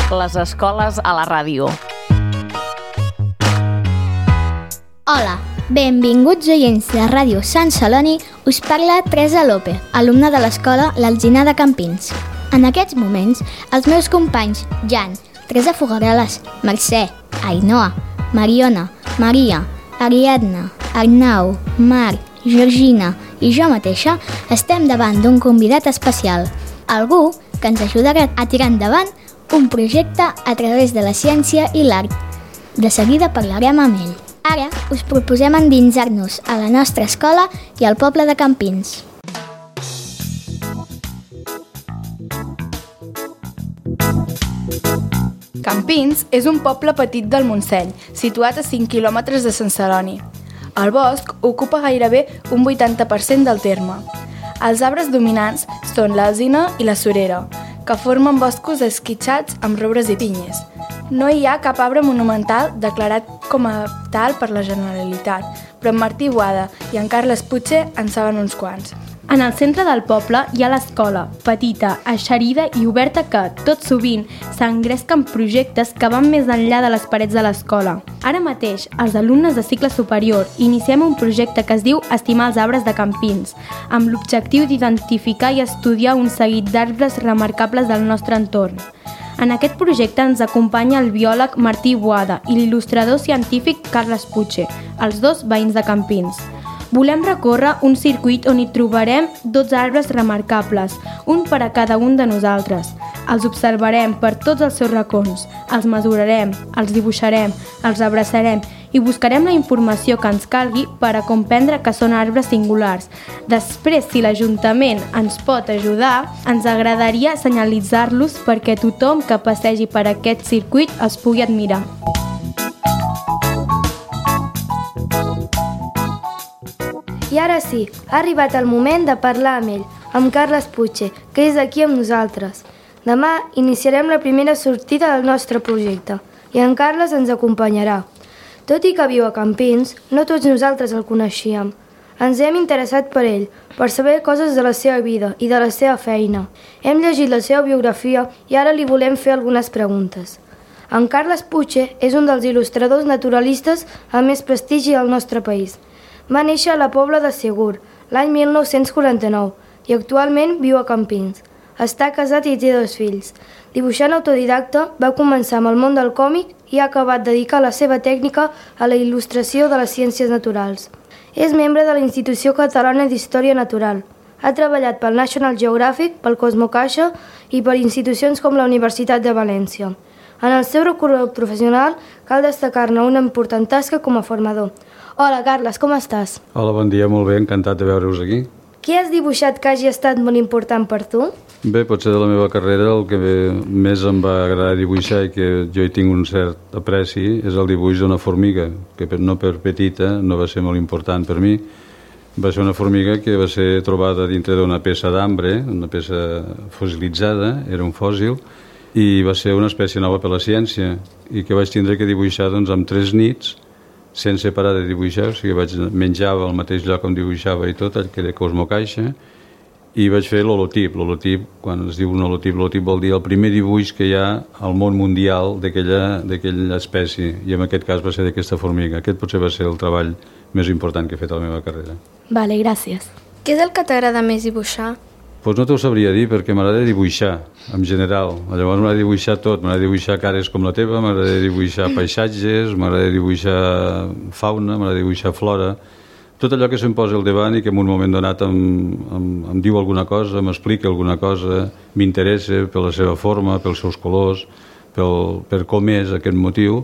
Les escoles a la ràdio. Hola, benvinguts oients de Ràdio Sant Celoni. Us parla Teresa López, alumna de l'escola L'Alzinar de Campins. En aquests moments, els meus companys Jan, Teresa Fogareles, Mercè, Ainhoa, Mariona, Maria, Ariadna, Arnau, Marc, Georgina i jo mateixa estem davant d'un convidat especial, algú que ens ajudarà a tirar endavant un projecte a través de la ciència i l'art. De seguida parlarem amb ell. Ara us proposem endinsar-nos a la nostra escola i al poble de Campins. Campins és un poble petit del Montseny, situat a 5 quilòmetres de Sant Celoni. El bosc ocupa gairebé un 80% del terme. Els arbres dominants són l'alzina i la surera, que formen boscos esquitxats amb roures i pinyes. No hi ha cap arbre monumental declarat com a tal per la Generalitat, però en Martí Boada i en Carles Puig en saben uns quants. En el centre del poble hi ha l'escola, petita, eixerida i oberta que, tot sovint, s'engresca amb projectes que van més enllà de les parets de l'escola. Ara mateix, els alumnes de cicle superior iniciem un projecte que es diu Estimar els arbres de Campins, amb l'objectiu d'identificar i estudiar un seguit d'arbres remarcables del nostre entorn. En aquest projecte ens acompanya el biòleg Martí Boada i l'il·lustrador científic Carles Puig, els dos veïns de Campins. Volem recórrer un circuit on hi trobarem 12 arbres remarcables, un per a cada un de nosaltres. Els observarem per tots els seus racons, els mesurarem, els dibuixarem, els abraçarem i buscarem la informació que ens calgui per a comprendre que són arbres singulars. Després, si l'Ajuntament ens pot ajudar, ens agradaria senyalitzar-los perquè tothom que passegi per aquest circuit els pugui admirar. I ara sí, ha arribat el moment de parlar amb ell, amb Carles Puig, que és aquí amb nosaltres. Demà iniciarem la primera sortida del nostre projecte i en Carles ens acompanyarà. Tot i que viu a Campins, no tots nosaltres el coneixíem. Ens hem interessat per ell, per saber coses de la seva vida i de la seva feina. Hem llegit la seva biografia i ara li volem fer algunes preguntes. En Carles Puig és un dels il·lustradors naturalistes amb més prestigi al nostre país. Va néixer a la Pobla de Segur, l'any 1949, i actualment viu a Campins. Està casat i té 2 fills. Dibuixant autodidacta, va començar amb el món del còmic i ha acabat dedicar la seva tècnica a la il·lustració de les ciències naturals. És membre de la Institució Catalana d'Història Natural. Ha treballat pel National Geographic, pel Cosmocaixa i per institucions com la Universitat de València. En el seu recorregut professional cal destacar-ne una important tasca com a formador. Hola, Carles, com estàs? Hola, bon dia, molt bé, encantat de veure-us aquí. Què has dibuixat que hagi estat molt important per tu? Bé, potser de la meva carrera el que més em va agradar dibuixar i que jo hi tinc un cert apreci és el dibuix d'una formiga, que no per petita no va ser molt important per mi. Va ser una formiga que va ser trobada dintre d'una peça d'ambre, una peça fossilitzada, era un fòssil, i va ser una espècie nova per la ciència i que vaig tindre que dibuixar amb 3 nits sense parar de dibuixar, o sigui, menjava al mateix lloc on dibuixava i tot, el que era Cosmocaixa, i vaig fer l'holotip. L'holotip, quan es diu un holotip, l'holotip vol dir el primer dibuix que hi ha al món mundial d'aquella espècie, i en aquest cas va ser d'aquesta formiga. Aquest potser va ser el treball més important que he fet a la meva carrera. Vale, gràcies. Què és el que t'agrada més dibuixar? Doncs no t'ho sabria dir, perquè m'agrada dibuixar, en general. Llavors m'agrada dibuixar tot, m'agrada dibuixar cares com la teva, m'agrada dibuixar paisatges, m'agrada dibuixar fauna, m'agrada dibuixar flora. Tot allò que se'm posa al davant i que en un moment donat em diu alguna cosa, m'explica alguna cosa, m'interessa per la seva forma, pels seus colors, per com és aquest motiu,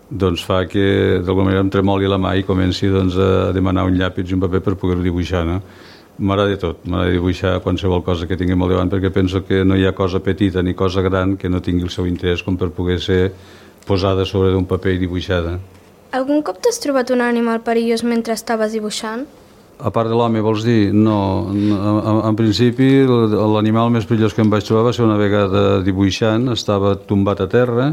doncs fa que d'alguna manera em tremoli la mà i comenci a demanar un llapis i un paper per poder-ho dibuixar, no? M'agrada tot, m'agrada dibuixar qualsevol cosa que tinguem al davant perquè penso que no hi ha cosa petita ni cosa gran que no tingui el seu interès com per poder ser posada sobre d'un paper i dibuixada. Algun cop t'has trobat un animal perillós mentre estaves dibuixant? A part de l'home, vols dir? No. En principi, l'animal més perillós que em vaig trobar va ser una vegada dibuixant, estava tombat a terra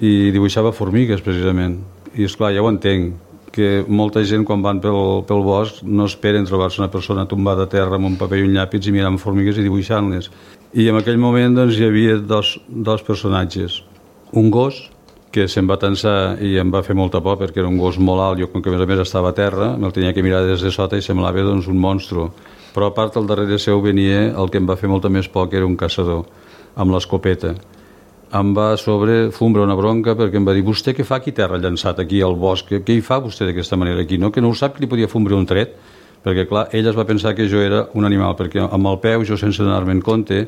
i dibuixava formigues, precisament. I, esclar, ja ho entenc, que molta gent quan van pel bosc no esperen trobar-se una persona tombada a terra amb un paper i un llàpis i mirant formigues i dibuixant-les. I en aquell moment doncs, hi havia dos personatges. Un gos que se'm va tensar i em va fer molta por perquè era un gos molt alt, jo com que a més estava a terra, me'l tenia que mirar des de sota i semblava doncs, un monstru. Però a part al darrere seu venia el que em va fer molta més por, que era un caçador amb l'escopeta. Em va fombrar una bronca perquè em va dir: vostè què fa aquí terra llançat aquí al bosc? Què hi fa vostè d'aquesta manera aquí? No? Que no ho sap que li podia fombrar un tret? Perquè clar, ell es va pensar que jo era un animal, perquè amb el peu, jo sense donar-me en compte,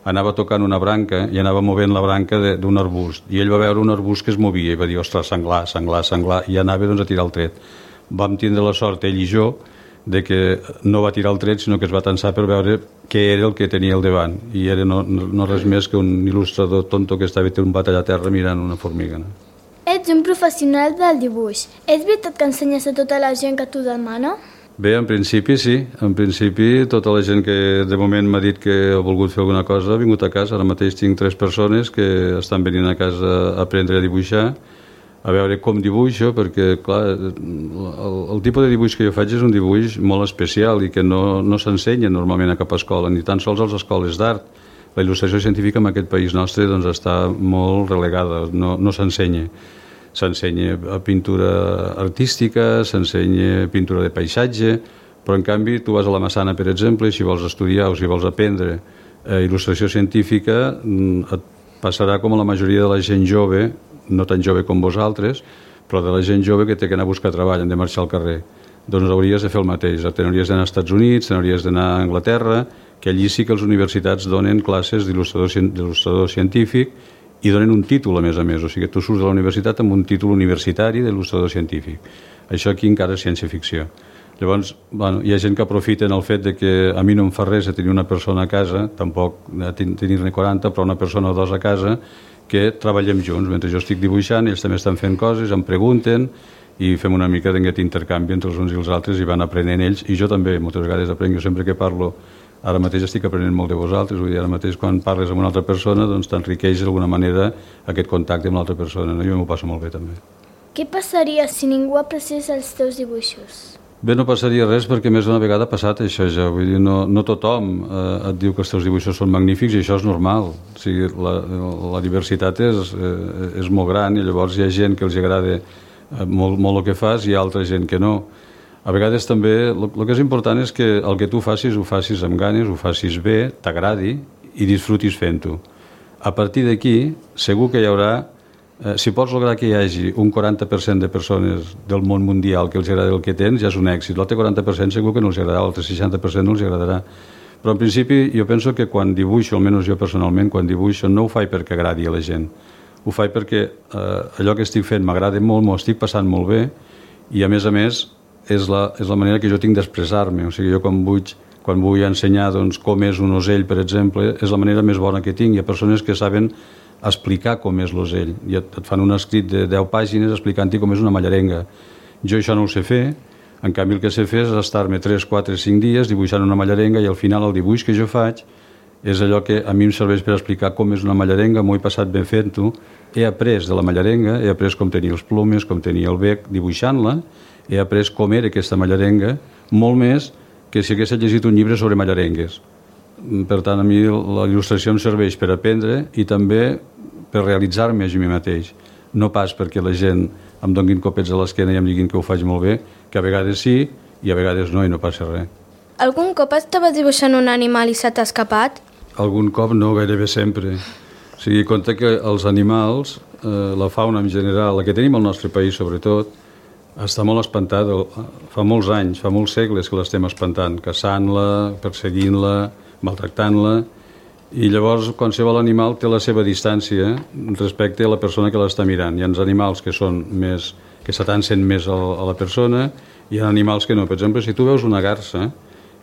anava tocant una branca i anava movent la branca d'un arbust, i ell va veure un arbust que es movia i va dir: ostres, senglar, senglar, senglar, i anava doncs, a tirar el tret. Vam tindre la sort, ell i jo, de que no va tirar el tret, sinó que es va tensar per veure què era el que tenia al davant, i era no res més que un il·lustrador tonto que estava tombat allà a terra mirant una formiga. No? Ets un professional del dibuix. És veritat que ensenyes a tota la gent que t'ho demana? Bé, en principi sí. En principi tota la gent que de moment m'ha dit que ha volgut fer alguna cosa ha vingut a casa. Ara mateix tinc 3 persones que estan venint a casa a aprendre a dibuixar, a veure com dibuixo, perquè clar, el tipus de dibuix que jo faig és un dibuix molt especial i que no s'ensenya normalment a cap escola, ni tan sols a les escoles d'art. La il·lustració científica en aquest país nostre doncs, està molt relegada, no s'ensenya. S'ensenya pintura artística, s'ensenya pintura de paisatge, però en canvi tu vas a la Massana, per exemple, i si vols estudiar o si vols aprendre il·lustració científica et passarà com a la majoria de la gent jove, no tan jove com vosaltres, però de la gent jove que té que anar a buscar treball, han de marxar al carrer. Doncs hauries de fer el mateix, te n'hauries d'anar als Estats Units, te n'hauries d'anar a Anglaterra, que allí sí que les universitats donen classes d'il·lustrador científic i donen un títol, a més, o sigui, tu surts de la universitat amb un títol universitari d'il·lustrador científic. Això aquí encara és ciència-ficció. Llavors, hi ha gent que aprofita en el fet de que a mi no em fa res a tenir una persona a casa, tampoc a tenir-ne 40, però una persona o 2 a casa, que treballem junts. Mentre jo estic dibuixant, ells també estan fent coses, em pregunten, i fem una mica d'aquest intercanvi entre els uns i els altres i van aprenent ells, i jo també moltes vegades aprenc. Jo sempre que parlo, ara mateix estic aprenent molt de vosaltres, vull dir, ara mateix quan parles amb una altra persona doncs t'enriqueix d'alguna manera aquest contacte amb l'altra persona, no? Jo m'ho passo molt bé també. Què passaria si ningú apreciés els teus dibuixos? Bé, no passaria res perquè més d'una vegada ha passat això ja, vull dir, no tothom et diu que els teus dibuixos són magnífics i això és normal, o sigui, la diversitat és molt gran i llavors hi ha gent que els agrada molt el que fas i altra gent que no. A vegades també el que és important és que el que tu facis ho facis amb ganes, ho facis bé, t'agradi i disfrutis fent-ho. A partir d'aquí segur que hi haurà, si pots lograr que hi hagi un 40% de persones del món mundial que els agrada el que tens, ja és un èxit. L'altre 40% segur que no els agradarà, l'altre 60% no els agradarà. Però en principi jo penso que quan dibuixo, almenys jo personalment, quan dibuixo no ho faig perquè agradi a la gent. Ho faig perquè allò que estic fent m'agrada molt, m'ho estic passant molt bé i a més és la manera que jo tinc d'expressar-me. O sigui, jo quan vull ensenyar doncs, com és un ocell, per exemple, és la manera més bona que tinc. Hi ha persones que saben explicar com és l'ocell i et fan un escrit de 10 pàgines explicant-hi com és una mallarenga. Jo això no ho sé fer, en canvi el que sé fer és estar-me 3, 4, 5 dies dibuixant una mallarenga i al final el dibuix que jo faig és allò que a mi em serveix per explicar com és una mallarenga, m'ho he passat ben fent-ho, he après de la mallarenga, he après com tenia els plomes, com tenia el bec dibuixant-la, he après com era aquesta mallarenga, molt més que si hagués llegit un llibre sobre mallarengues. Per tant, a mi la il·lustració em serveix per aprendre i també per realitzar-me a mi mateix. No pas perquè la gent em donguin copets a l'esquena i em diguin que ho faig molt bé, que a vegades sí i a vegades no i no passa res. Algun cop estaves dibuixant un animal i se t'ha escapat? Algun cop no, gairebé sempre. O sigui, compte que els animals, la fauna en general, la que tenim al nostre país sobretot, està molt espantada. Fa molts anys, fa molts segles que l'estem espantant, caçant-la, perseguint-la, maltractant-la, i llavors qualsevol animal té la seva distància respecte a la persona que l'està mirant. Hi ha animals que s'atancen més a la persona i hi ha animals que no. Per exemple, si tu veus una garsa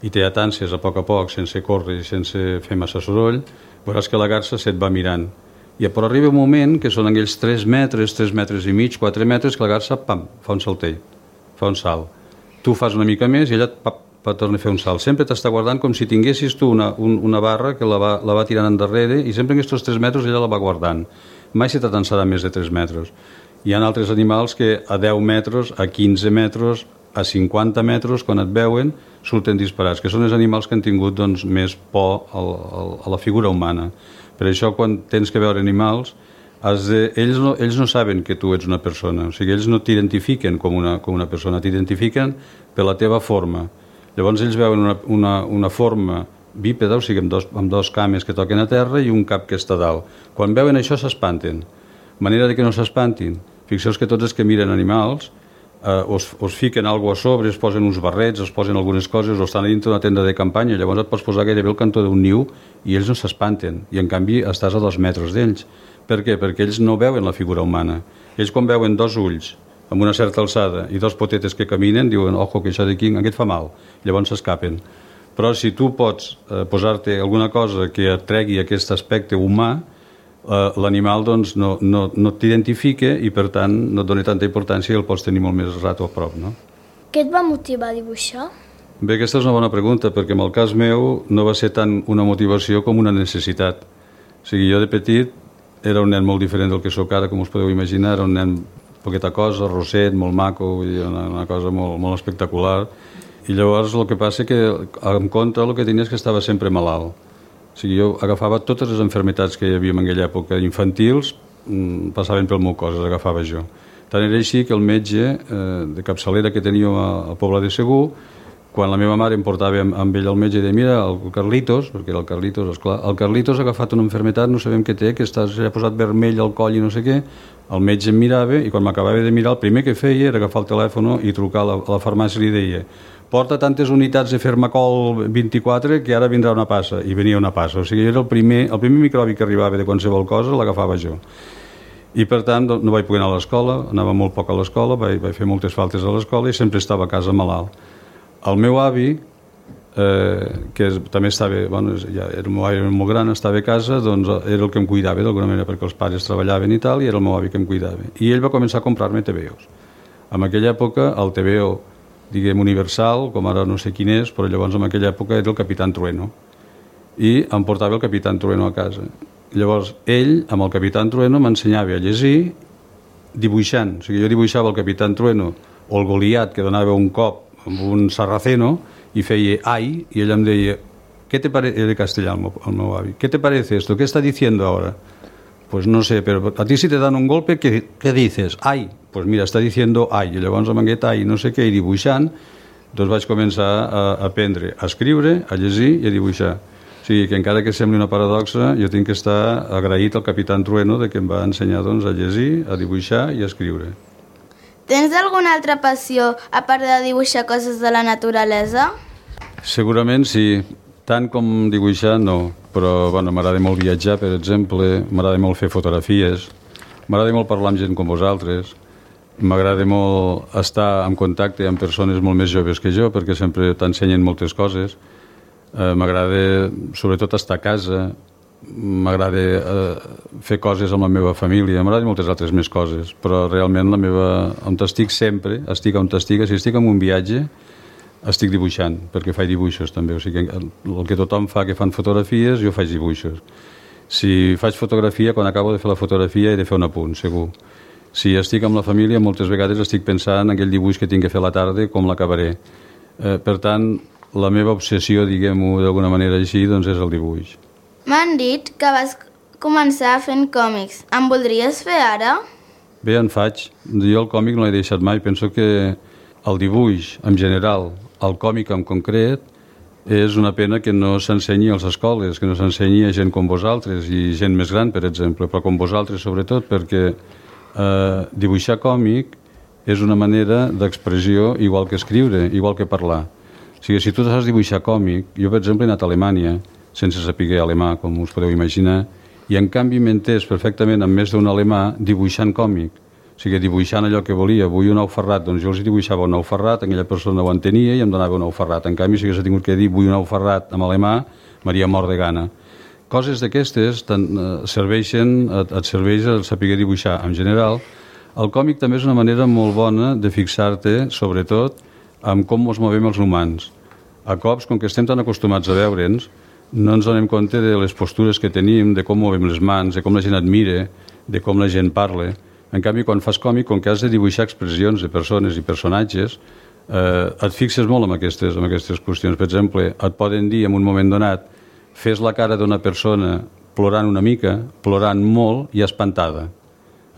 i te atàncies a poc, sense córrer i sense fer massa soroll, veuràs que la garsa se't va mirant. Però arriba un moment que són aquells 3 metres i mig, 4 metres, que la garsa, pam, fa un saltell, fa un salt. Tu fas una mica més i ella torna a fer un salt. Sempre t'està guardant com si tinguessis tu una barra que la va tirant endarrere i sempre en aquests 3 metres ella la va guardant. Mai se t'atansarà més de 3 metres. Hi ha altres animals que a 10 metres, a 15 metres, a 50 metres, quan et veuen, surten disparats, que són els animals que han tingut doncs, més por a la figura humana. Per això, quan tens que veure animals, ells no saben que tu ets una persona, o sigui, ells no t'identifiquen com una persona, t'identifiquen per la teva forma. Llavors ells veuen una forma bípeda, o sigui, amb dos cames que toquen a terra i un cap que està dalt. Quan veuen això s'espanten. Manera de que no s'espantin. Fixeu que tots els que miren animals us fiquen alguna cosa a sobre, es posen uns barrets, es posen algunes coses, o estan a dintre d'una tenda de campanya, llavors et pots posar gairebé al cantó d'un niu i ells no s'espanten, i en canvi estàs a 2 metres d'ells. Per què? Perquè ells no veuen la figura humana. Ells quan veuen 2 ulls amb una certa alçada i 2 potetes que caminen, diuen, ojo, que això d'aquí, aquest fa mal, llavors s'escapen. Però si tu pots posar-te alguna cosa que et tregui aquest aspecte humà, l'animal doncs, no t'identifica i per tant no et dona tanta importància i el pots tenir molt més rato a prop, no? Què et va motivar a dibuixar? Bé, aquesta és una bona pregunta, perquè en el cas meu no va ser tant una motivació com una necessitat. O sigui, jo de petit era un nen molt diferent del que sóc ara, com us podeu imaginar, era un nen poqueta cosa, rosset, molt maco, una cosa molt espectacular, i llavors el que passa que en compte el que tenia és que estava sempre malalt. O sigui, jo agafava totes les malalties que hi havia en aquella època infantils, passaven pel meu cos, les agafava jo. Tant era així que el metge de capçalera que teníem al poble de Segur, quan la meva mare em portava amb ell al metge i deia, mira, el Carlitos, perquè era el Carlitos, esclar, el Carlitos ha agafat una malaltia, no sabem què té, que s'ha posat vermell al coll i no sé què, el metge em mirava i quan m'acabava de mirar el primer que feia era agafar el telèfon i trucar a la farmàcia i li deia, porta tantes unitats de Fermacol 24 que ara vindrà una passa, i venia una passa. O sigui, era el primer microbi que arribava de qualsevol cosa, l'agafava jo. I per tant no vaig poder anar a l'escola, anava molt poc a l'escola, vaig fer moltes faltes a l'escola i sempre estava a casa malalt. El meu avi, que també estava, ja era molt gran, estava a casa, doncs era el que em cuidava d'alguna manera, perquè els pares treballaven i tal, i era el meu avi que em cuidava. I ell va començar a comprar-me TVOs. En aquella època, el TVO, diguem, universal, com ara no sé quin és, però llavors en aquella època era el Capitán Trueno. I em portava el Capitán Trueno a casa. Llavors, ell, amb el Capitán Trueno, m'ensenyava a llegir dibuixant. O sigui, jo dibuixava el Capitán Trueno o el Goliat, que donava un cop amb un sarraceno, i feia ai, i ell em deia, ¿qué te parece? Era castellà, el meu avi. ¿Qué te parece esto? ¿Qué está diciendo ahora? Pues no sé, pero a ti si te dan un golpe, ¿qué dices? Ai. Pues mira, està diciendo ai. I llavors amb aquest ai, no sé què, i dibuixant, doncs vaig començar a aprendre a escriure, a llegir i a dibuixar. O sigui, que encara que sembli una paradoxa, jo tinc que estar agraït al Capitán Trueno de que em va ensenyar doncs, a llegir, a dibuixar i a escriure. Tens alguna altra passió, a part de dibuixar coses de la naturalesa? Segurament sí. Tant com dibuixar, no. Però m'agrada molt viatjar, per exemple, m'agrada molt fer fotografies, m'agrada molt parlar amb gent com vosaltres, m'agrada molt estar en contacte amb persones molt més joves que jo, perquè sempre t'ensenyen moltes coses. M'agrada, sobretot, estar a casa, m'agrada fer coses amb la meva família, m'agrada moltes altres més coses, però realment on estic sempre, estic on estic, si estic en un viatge, estic dibuixant, perquè faig dibuixos també, o sigui, el que tothom fa que fan fotografies, jo faig dibuixos. Si faig fotografia, quan acabo de fer la fotografia he de fer un apunt, segur. Si estic amb la família, moltes vegades estic pensant en aquell dibuix que tinc que fer a la tarda, com l'acabaré. Per tant, la meva obsessió, diguem-ho d'alguna manera així, doncs és el dibuix. M'han dit que vas començar fent còmics. En voldries fer ara? Bé, en faig. Jo el còmic no l'he deixat mai. Penso que el dibuix, en general, el còmic en concret, és una pena que no s'ensenyi a les escoles, que no s'ensenyi a gent com vosaltres i gent més gran, per exemple, però com vosaltres sobretot, perquè dibuixar còmic és una manera d'expressió igual que escriure, igual que parlar. O sigui, si tu saps dibuixar còmic, jo per exemple he anat a Alemanya sense saber alemà, com us podeu imaginar, i en canvi m'he entès perfectament amb més d'un alemà dibuixant còmic. O sigui, dibuixant allò que volia. Vull un ou ferrat, doncs jo els dibuixava un ou ferrat, aquella persona ho entenia i em donava un ou ferrat. En canvi, si hagués tingut que dir vull un ou ferrat en alemà, m'hauria mort de gana. Coses d'aquestes et serveix el saber dibuixar. En general, el còmic també és una manera molt bona de fixar-te, sobretot, en com ens movem els humans. A cops, com que estem tan acostumats a veure'ns, no ens donem compte de les postures que tenim, de com movem les mans, de com la gent et mira, de com la gent parla. En canvi, quan fas còmic, com que has de dibuixar expressions de persones i personatges, et fixes molt en aquestes qüestions. Per exemple, et poden dir en un moment donat, fes la cara d'una persona plorant una mica, plorant molt i espantada.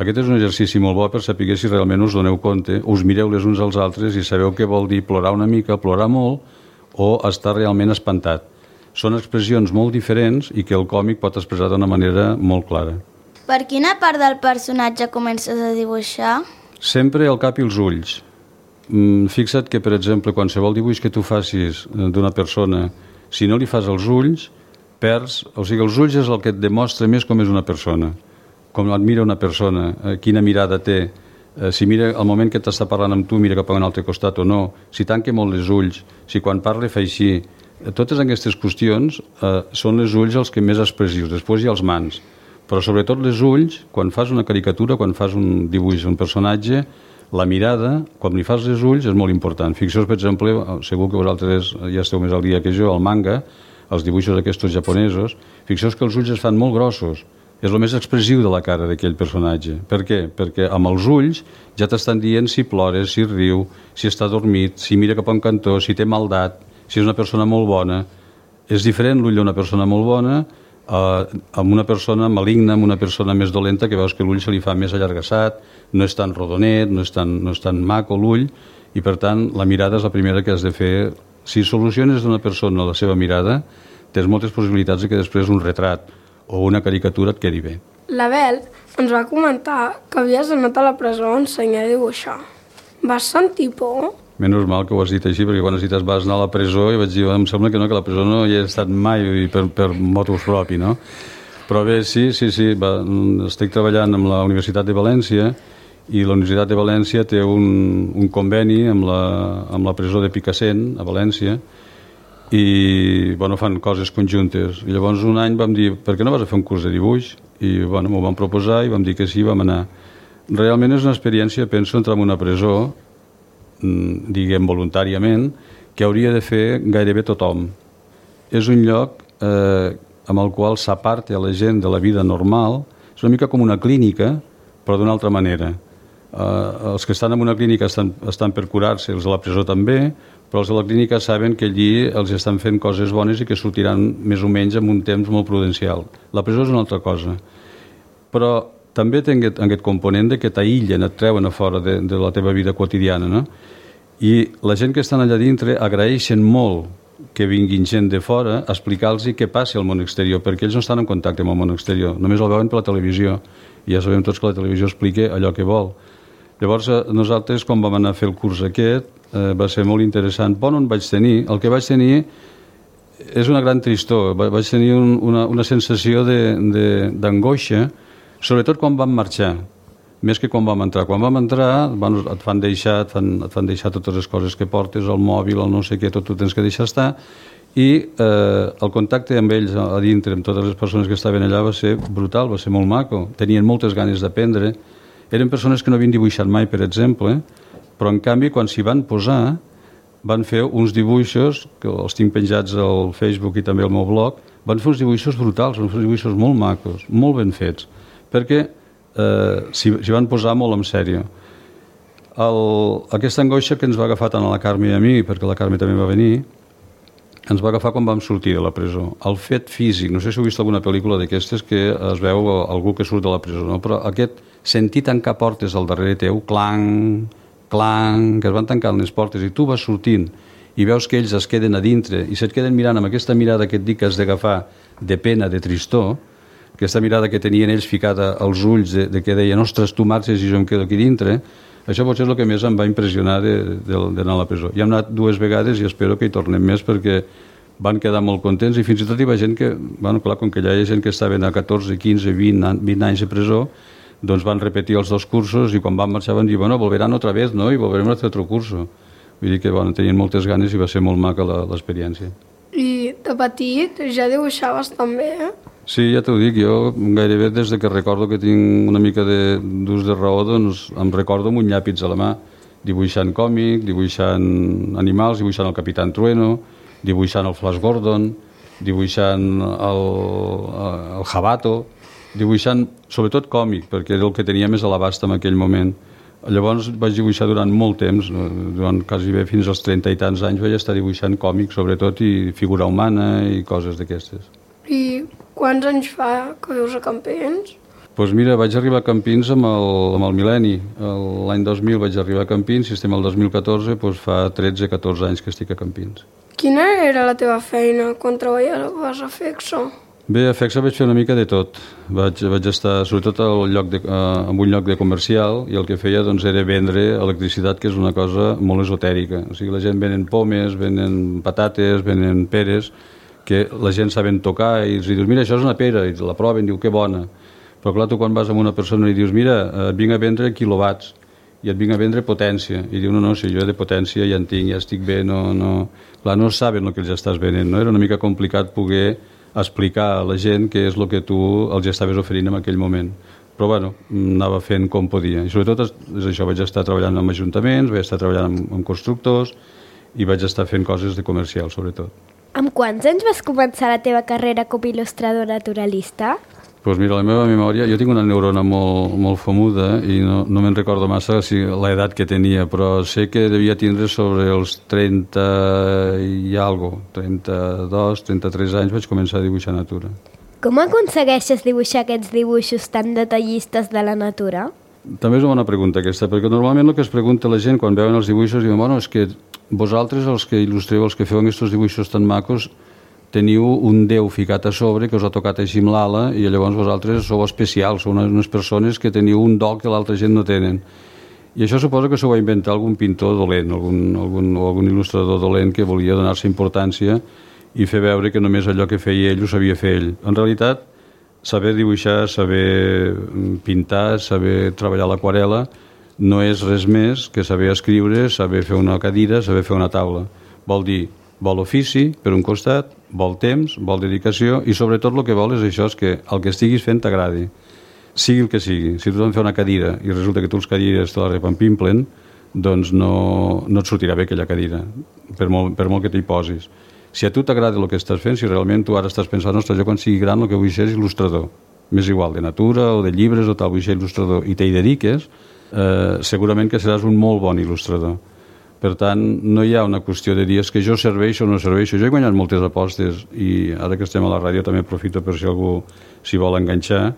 Aquest és un exercici molt bo per saber si realment us doneu compte, us mireu les uns als altres i sabeu què vol dir plorar una mica, plorar molt o estar realment espantat. Són expressions molt diferents i que el còmic pot expressar d'una manera molt clara. Per quina part del personatge comences a dibuixar? Sempre el cap i els ulls. Fixa't que, per exemple, qualsevol dibuix que tu facis d'una persona, si no li fas els ulls, perds... O sigui, els ulls és el que et demostra més com és una persona, com et mira una persona, quina mirada té, si mira al moment que t'està parlant amb tu, mira cap a un altre costat o no, si tanca molt els ulls, si quan parla fa així. Totes aquestes qüestions són els ulls els que més expressius, després hi ha els mans, però sobretot les ulls, quan fas una caricatura, quan fas un dibuix d'un personatge, la mirada, quan li fas els ulls, és molt important. Fixeu-vos, per exemple, segur que vosaltres ja esteu més al dia que jo, el manga, els dibuixos aquests japonesos, fixeu-vos que els ulls es fan molt grossos. És el més expressiu de la cara d'aquell personatge. Per què? Perquè amb els ulls ja t'estan dient si plores, si riu, si està dormit, si mira cap a un cantó, si té maldat, si és una persona molt bona. És diferent l'ull d'una persona molt bona amb una persona maligna, amb una persona més dolenta, que veus que l'ull se li fa més allargassat, no és tan rodonet, no és tan maco l'ull, i per tant la mirada és la primera que has de fer. Si soluciones d'una persona la seva mirada, tens moltes possibilitats de que després un retrat o una caricatura et quedi bé. L'Abel ens va comentar que havies anat a la presó a ensenyar a dibuixar. Vas sentir por? Menys mal que ho has dit així, perquè quan has dit vas anar a la presó i vaig dir, em sembla que no, que a la presó no hi he estat mai per motus propi, no? Però bé, sí, estic treballant amb la Universitat de València i la Universitat de València té un conveni amb la presó de Picassent, a València, i fan coses conjuntes. I llavors un any vam dir, per què no vas a fer un curs de dibuix? I m'ho vam proposar i vam dir que sí, vam anar. Realment és una experiència, penso, entrar en una presó, diguem voluntàriament, que hauria de fer gairebé tothom. És un lloc amb el qual s'aparta la gent de la vida normal, és una mica com una clínica, però d'una altra manera. Els que estan en una clínica estan per curar-se, els de la presó també, però els de la clínica saben que allí els estan fent coses bones i que sortiran més o menys en un temps molt prudencial. La presó és una altra cosa. Però també té aquest component que t'aïllen, et treuen a fora de la teva vida quotidiana, no? I la gent que estan allà dintre agraeixen molt que vinguin gent de fora a explicar-los què passa al món exterior, perquè ells no estan en contacte amb el món exterior, només el veuen per la televisió, i ja sabem tots que la televisió explica allò que vol. Llavors, nosaltres, quan vam anar a fer el curs aquest, va ser molt interessant. On vaig tenir? El que vaig tenir és una gran tristor. Vaig tenir una sensació d'angoixa, sobretot quan vam marxar, més que quan vam entrar. Quan vam entrar, et fan deixar totes les coses que portes, el mòbil, el no sé què, tot ho tens que deixar estar, i el contacte amb ells a dintre, amb totes les persones que estaven allà, va ser brutal, va ser molt maco. Tenien moltes ganes d'aprendre. Eren persones que no havien dibuixat mai, per exemple, però en canvi quan s'hi van posar van fer uns dibuixos, que els tinc penjats al Facebook i també al meu blog, van fer uns dibuixos brutals, van fer uns dibuixos molt macos, molt ben fets, perquè s'hi van posar molt en sèrio. Aquesta angoixa que ens va agafar tant a la Carme i a mi, perquè la Carme també va venir, ens va agafar quan vam sortir de la presó. El fet físic, no sé si heu vist alguna pel·lícula d'aquestes que es veu algú que surt de la presó, no? Però aquest sentir tancar portes al darrere teu, clang, clang, que es van tancant les portes i tu vas sortint i veus que ells es queden a dintre i se't queden mirant amb aquesta mirada que et dic que has d'agafar de pena, de tristor, aquesta mirada que tenien ells ficada als ulls de que deien, ostres, tu marxes i jo em quedo aquí dintre, això potser és el que més em va impressionar d'anar a la presó. Ja hem anat 2 vegades i espero que hi tornem més perquè van quedar molt contents i fins i tot hi va gent que, clar, com que ja hi ha gent que estaven a 14, 15, 20 anys de presó, doncs van repetir els 2 cursos i quan van marxar van dir, volverán otra vez, ¿no? Y volveremos a hacer otro curso. Vull dir que tenien moltes ganes i va ser molt maca l'experiència. I de petit ja dibuixaves també, eh? Sí, ja t'ho dic, jo gairebé des que recordo que tinc una mica d'ús de raó, doncs em recordo amb un llàpis a la mà, dibuixant còmic, dibuixant animals, dibuixant el Capitán Trueno, dibuixant el Flash Gordon, dibuixant el Jabato. dibuixant sobretot còmic, perquè era el que tenia més a l'abast en aquell moment. Llavors vaig dibuixar durant molt temps, durant quasi bé fins als 30 i tants anys vaig estar dibuixant còmic, sobretot, i figura humana i coses d'aquestes. I quants anys fa que vius a Campins? Doncs mira, vaig arribar a Campins amb el mil·lenni. L'any 2000 vaig arribar a Campins, si estem al 2014, doncs fa 13-14 anys que estic a Campins. Quina era la teva feina quan treballaves a Fexo? Bé, a Fexo vaig fer una mica de tot. Vaig estar sobretot en un lloc de comercial i el que feia doncs, era vendre electricitat, que és una cosa molt esotèrica. O sigui, la gent venen pomes, venen patates, venen peres, que la gent saben tocar i els dius, mira, això és una pera, i la proven, diu, que bona. Però clar, tu quan vas amb una persona i dius, mira, et vinc a vendre quilowatts i et vinc a vendre potència, i diu, no, si jo de potència ja en tinc, ja estic bé, no... Clar, no saben el que els estàs venent, no? Era una mica complicat poder explicar a la gent què és el que tu els estaves oferint en aquell moment. Però bueno, anava fent com podia. I sobretot és això, vaig estar treballant amb ajuntaments, vaig estar treballant amb constructors i vaig estar fent coses de comercial, sobretot. Amb quants anys vas començar la teva carrera com a il·lustrador naturalista? Doncs mira, la meva memòria, jo tinc una neurona molt famuda i no me'n recordo massa l'edat que tenia, però sé que devia tindre sobre els 30 i alguna cosa, 32, 33 anys vaig començar a dibuixar natura. Com aconsegueixes dibuixar aquests dibuixos tan detallistes de la natura? També és una bona pregunta aquesta, perquè normalment el que es pregunta la gent quan veuen els dibuixos diuen, bueno, és que vosaltres els que il·lustreu, els que feu aquests dibuixos tan macos, teniu un déu ficat a sobre que us ha tocat així amb l'ala i llavors vosaltres sou especials, sou unes persones que teniu un do que l'altra gent no tenen. I això suposa que s'ho va inventar algun pintor dolent, algun il·lustrador dolent que volia donar-se importància i fer veure que només allò que feia ell ho sabia fer ell. En realitat, saber dibuixar, saber pintar, saber treballar l'aquarela no és res més que saber escriure, saber fer una cadira, saber fer una taula. Vol dir, vol ofici, per un costat, vol temps, vol dedicació i sobretot el que vol és això, és que el que estiguis fent t'agradi, sigui el que sigui. Si tu has de fer una cadira i resulta que tu els cadires te la repampimplen, doncs no et sortirà bé aquella cadira, per molt que t'hi posis. Si a tu t'agrada el que estàs fent, si realment tu ara estàs pensant, ostres, jo quan sigui gran el que vull ser és il·lustrador, m'és igual, de natura o de llibres o tal, vull ser il·lustrador, i t'hi dediques, segurament que seràs un molt bon il·lustrador. Per tant, no hi ha una qüestió de dir que jo serveixo o no serveixo. Jo he guanyat moltes apostes i ara que estem a la ràdio també aprofito per si algú s'hi vol enganxar.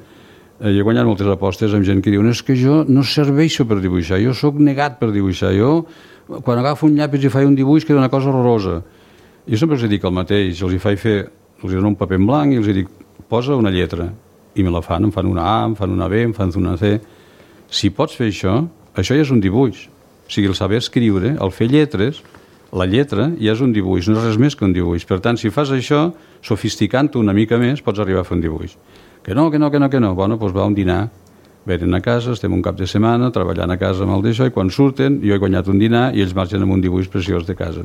Jo he guanyat moltes apostes amb gent que diuen és que jo no serveixo per dibuixar, jo sóc negat per dibuixar. Jo, quan agafo un llapis i faig un dibuix, queda una cosa horrorosa. Jo sempre els dic el mateix, els dono un paper en blanc i els dic posa una lletra. I me la fan, em fan una A, em fan una B, em fan una C. Si pots fer això ja és un dibuix. O sigui, el saber escriure, el fer lletres, la lletra ja és un dibuix, no és res més que un dibuix. Per tant, si fas això, sofisticant-ho una mica més, pots arribar a fer un dibuix. Que no. Bueno, doncs va a un dinar. Venen a casa, estem un cap de setmana, treballant a casa amb el d'això, i quan surten, jo he guanyat un dinar i ells marxen amb un dibuix preciós de casa.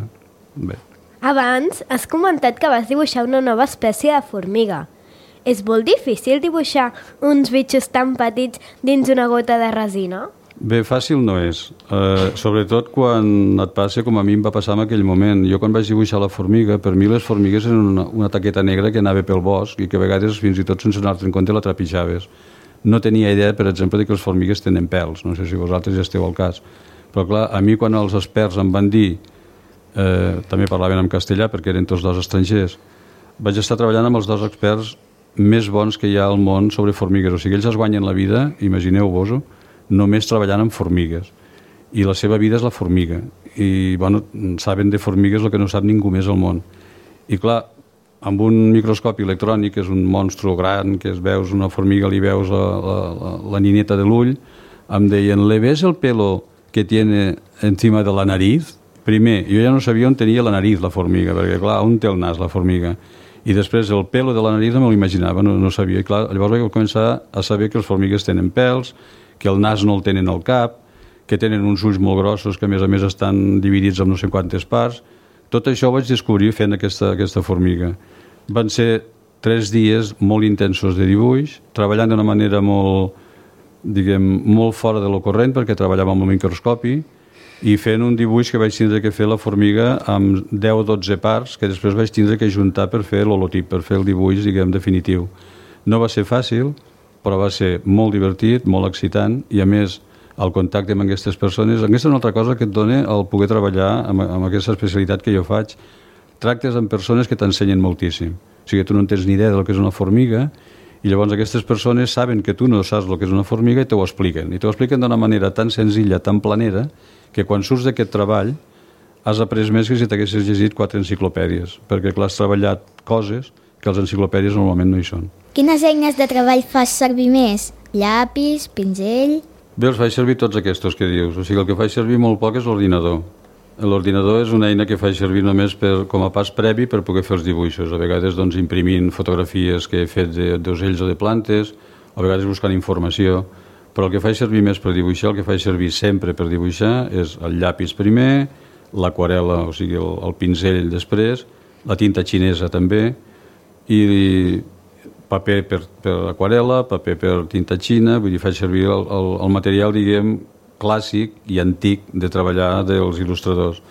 Bé. Abans has comentat que vas dibuixar una nova espècie de formiga. És molt difícil dibuixar uns bitxos tan petits dins una gota de resina? Bé, fàcil no és, sobretot quan et passa com a mi em va passar en aquell moment. Jo quan vaig dibuixar la formiga, per mi les formigues eren una taqueta negra que anava pel bosc i que a vegades fins i tot sense anar-te'n compte la trepitjaves. No tenia idea, per exemple, que les formigues tenen pèls, no sé si vosaltres ja esteu al cas. Però clar, a mi quan els experts em van dir, també parlaven en castellà perquè eren tots dos estrangers, vaig estar treballant amb els dos experts més bons que hi ha al món sobre formigues. O sigui, ells es guanyen la vida, imagineu-vos-ho, només treballant amb formigues. I la seva vida és la formiga. I, bueno, saben de formigues el que no sap ningú més al món. I, clar, amb un microscopi electrònic, que és un monstru gran, que veus una formiga, li veus la nineta de l'ull, em deien, ¿le ves el pelo que tiene encima de la nariz? Primer, jo ja no sabia on tenia la nariz la formiga, perquè, clar, on té el nas la formiga? I després el pelo de la nariz no me l'imaginava, no sabia. I, clar, llavors vaig començar a saber que les formigues tenen pèls, que el nas no el tenen al cap, que tenen uns ulls molt grossos que a més estan dividits en no sé quantes parts. Tot això ho vaig descobrir fent aquesta formiga. Van ser 3 dies molt intensos de dibuix, treballant d'una manera molt fora de lo corrent, perquè treballava amb el microscopi, i fent un dibuix que vaig tindre que fer la formiga amb 10 o 12 parts, que després vaig tindre que juntar per fer l'holotip, per fer el dibuix, definitiu. No va ser fàcil, però va ser molt divertit, molt excitant, i a més el contacte amb aquestes persones, aquesta és una altra cosa que et dona el poder treballar amb aquesta especialitat que jo faig. Tractes amb persones que t'ensenyen moltíssim. O sigui, tu no en tens ni idea del que és una formiga, i llavors aquestes persones saben que tu no saps el que és una formiga i t'ho expliquen. I t'ho expliquen d'una manera tan senzilla, tan planera, que quan surts d'aquest treball has après més que si t'haguessis llegit 4 enciclopèdies, perquè clar, has treballat coses que les enciclopèdies normalment no hi són. Quines eines de treball fas servir més? Llapis, pinzell... Bé, els faig servir tots aquests que dius. O sigui, el que faig servir molt poc és l'ordinador. L'ordinador és una eina que faig servir només com a pas previ per poder fer els dibuixos. A vegades doncs, imprimint fotografies que he fet d'ocells o de plantes, a vegades buscant informació. Però el que faig servir més per dibuixar, el que faig servir sempre per dibuixar, és el llapis primer, l'aquarela, o sigui, el pinzell després, la tinta xinesa també, i paper per aquarela, paper per tinta xina, vull dir, faig servir el material, diguem, clàssic i antic de treballar dels il·lustradors.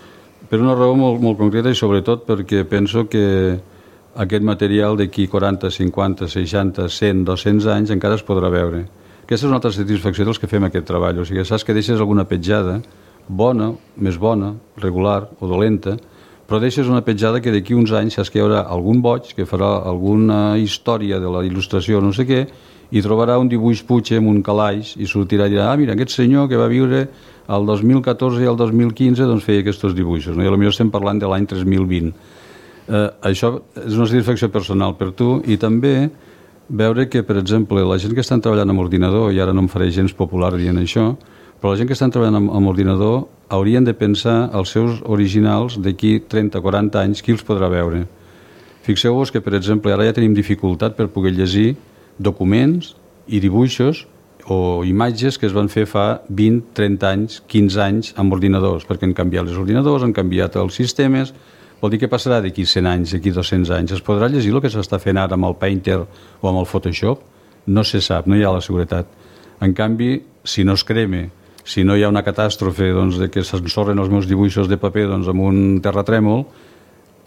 Per una raó molt, molt concreta i sobretot perquè penso que aquest material d'aquí 40, 50, 60, 100, 200 anys encara es podrà veure. Aquesta és una altra satisfacció dels que fem aquest treball, o sigui, saps que deixes alguna petjada, bona, més bona, regular o dolenta, però deixes una petjada que d'aquí uns anys saps que hi haurà algun boig que farà alguna història de la il·lustració no sé què i trobarà un dibuix Puig amb un calaix i sortirà i dirà, mira, aquest senyor que va viure el 2014 i el 2015 doncs feia aquests dibuixos, no? I potser estem parlant de l'any 3020. Això és una satisfacció personal per tu i també veure que, per exemple, la gent que estan treballant amb ordinador, i ara no em faré gens popular dient això, però la gent que estan treballant amb ordinador haurien de pensar els seus originals d'aquí 30-40 anys, qui els podrà veure. Fixeu-vos que, per exemple, ara ja tenim dificultat per poder llegir documents i dibuixos o imatges que es van fer fa 20, 30 anys, 15 anys amb ordinadors, perquè han canviat els ordinadors, han canviat els sistemes. Vol dir que passarà d'aquí 100 anys, d'aquí 200 anys. Es podrà llegir el que s'està fent ara amb el Painter o amb el Photoshop? No se sap, no hi ha la seguretat. En canvi, si no es crema, si no hi ha una catàstrofe doncs, de que s'ensorren els meus dibuixos de paper doncs, amb un terratrèmol,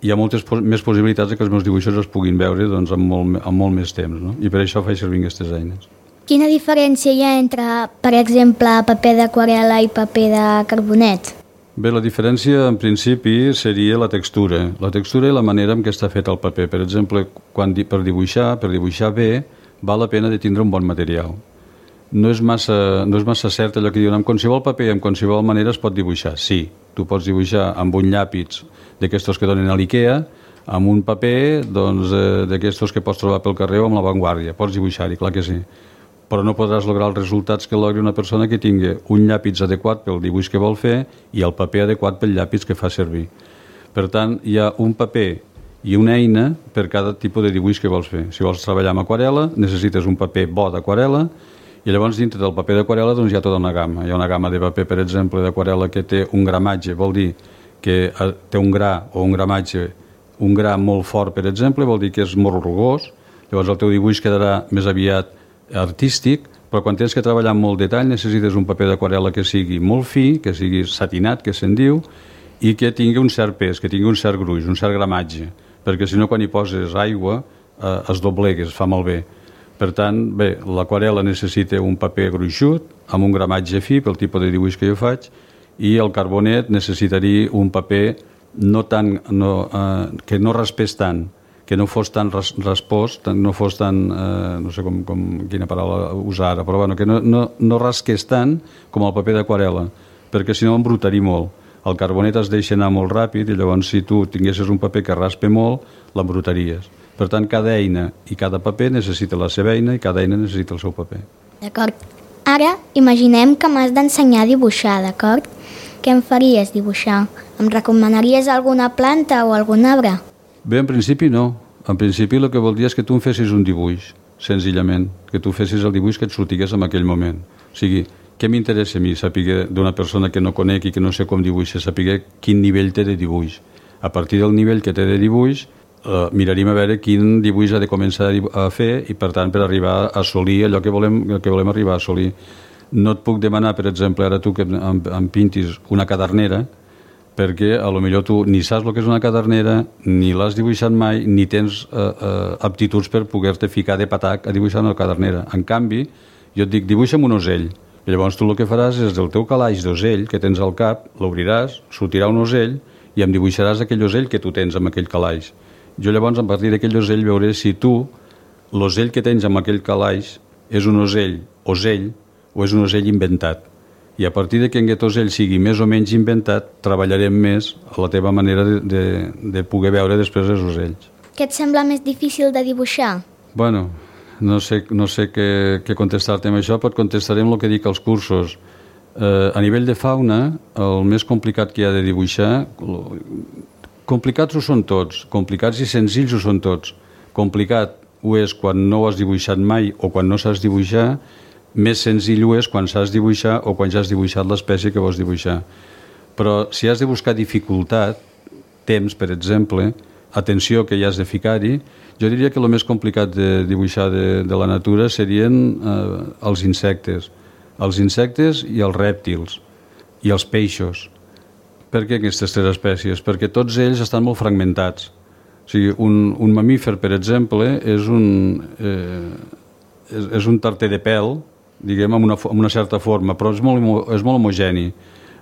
hi ha moltes més possibilitats que els meus dibuixos es puguin veure doncs, amb molt més temps, no? I per això faig servir aquestes eines. Quina diferència hi ha entre, per exemple, paper d'aquarel·la i paper de carbonet? Bé, la diferència en principi seria la textura i la manera en què està fet el paper. Per exemple, per dibuixar bé, val la pena de tindre un bon material. No és massa cert allò que diuen amb qualsevol paper i amb qualsevol manera es pot dibuixar. Sí, tu pots dibuixar amb un llàpis d'aquestos que donen a l'IKEA, amb un paper d'aquestos que pots trobar pel carrer o amb la Vanguardia. Pots dibuixar-hi, clar que sí. Però no podràs lograr els resultats que logri una persona que tingui un llàpis adequat pel dibuix que vol fer i el paper adequat pel llàpis que fa servir. Per tant, hi ha un paper i una eina per cada tipus de dibuix que vols fer. Si vols treballar amb aquarela, necessites un paper bo d'aquarela i llavors dintre del paper d'aquarela doncs, hi ha tota una gamma. Hi ha una gamma de paper, per exemple, d'aquarela que té un gramatge, vol dir que té un gra o un gramatge, un gra molt fort, per exemple, vol dir que és molt rugós, llavors el teu dibuix quedarà més aviat artístic, però quan tens que treballar amb molt detall necessites un paper d'aquarela que sigui molt fi, que sigui satinat, que se'n diu, i que tingui un cert pes, que tingui un cert gruix, un cert gramatge, perquè si no quan hi poses aigua es doblega, es fa malbé. Per tant, bé, l'aquarela necessita un paper gruixut, amb un gramatge fi pel tipus de dibuix que jo faig, i el carbonet necessitaria un paper que no raspés tant, que no fos tan raspós, no fos tan, no sé quina paraula usar ara, però bueno, que no rasqués tant com el paper d'aquarela, perquè si no embrutaria molt. El carbonet es deixa anar molt ràpid i llavors si tu tinguessis un paper que raspe molt, l'embrutaries. Per tant, cada eina i cada paper necessita la seva eina i cada eina necessita el seu paper. D'acord. Ara imaginem que m'has d'ensenyar a dibuixar, d'acord? Què em faries dibuixar? Em recomanaries alguna planta o algun arbre? Bé, en principi no. En principi el que voldria és que tu em fessis un dibuix, senzillament. Que tu fessis el dibuix que et sortigués en aquell moment. O sigui, què m'interessa a mi saber d'una persona que no conec i que no sé com dibuixa, saber quin nivell té de dibuix. A partir del nivell que té de dibuix, miraríem a veure quin dibuix ha de començar a fer i, per tant, per arribar a assolir allò que volem arribar a assolir. No et puc demanar, per exemple, ara tu que em pintis una cadernera, perquè a lo millor tu ni saps el que és una cadernera, ni l'has dibuixat mai, ni tens aptituds per poder-te ficar de patac a dibuixar una cadernera. En canvi, jo et dic, dibuixa'm un ocell. I llavors tu el que faràs és del teu calaix d'ocell que tens al cap, l'obriràs, sortirà un ocell i em dibuixaràs aquell ocell que tu tens amb aquell calaix. Jo llavors, a partir d'aquell ocell, veuré si tu, l'ocell que tens amb aquell calaix, és un ocell o és un ocell inventat. I a partir que aquest ocell sigui més o menys inventat, treballarem més a la teva manera de poder veure després els ocells. Què et sembla més difícil de dibuixar? Bueno, no sé què contestar-te amb això, però contestaré amb el que dic als cursos. A nivell de fauna, el més complicat que hi ha de dibuixar, complicats ho són tots, complicats i senzills ho són tots. Complicat ho és quan no ho has dibuixat mai o quan no saps dibuixar, més senzill ho és quan saps dibuixar o quan ja has dibuixat l'espècie que vols dibuixar. Però si has de buscar dificultat, temps, per exemple, atenció que hi has de ficar-hi, jo diria que el més complicat de dibuixar de la natura serien els insectes. Els insectes i els rèptils i els peixos. Per què aquestes tres espècies? Perquè tots ells estan molt fragmentats. O sigui, un mamífer, per exemple, és un tarter de pèl, diguem, amb una certa forma, però és molt homogeni.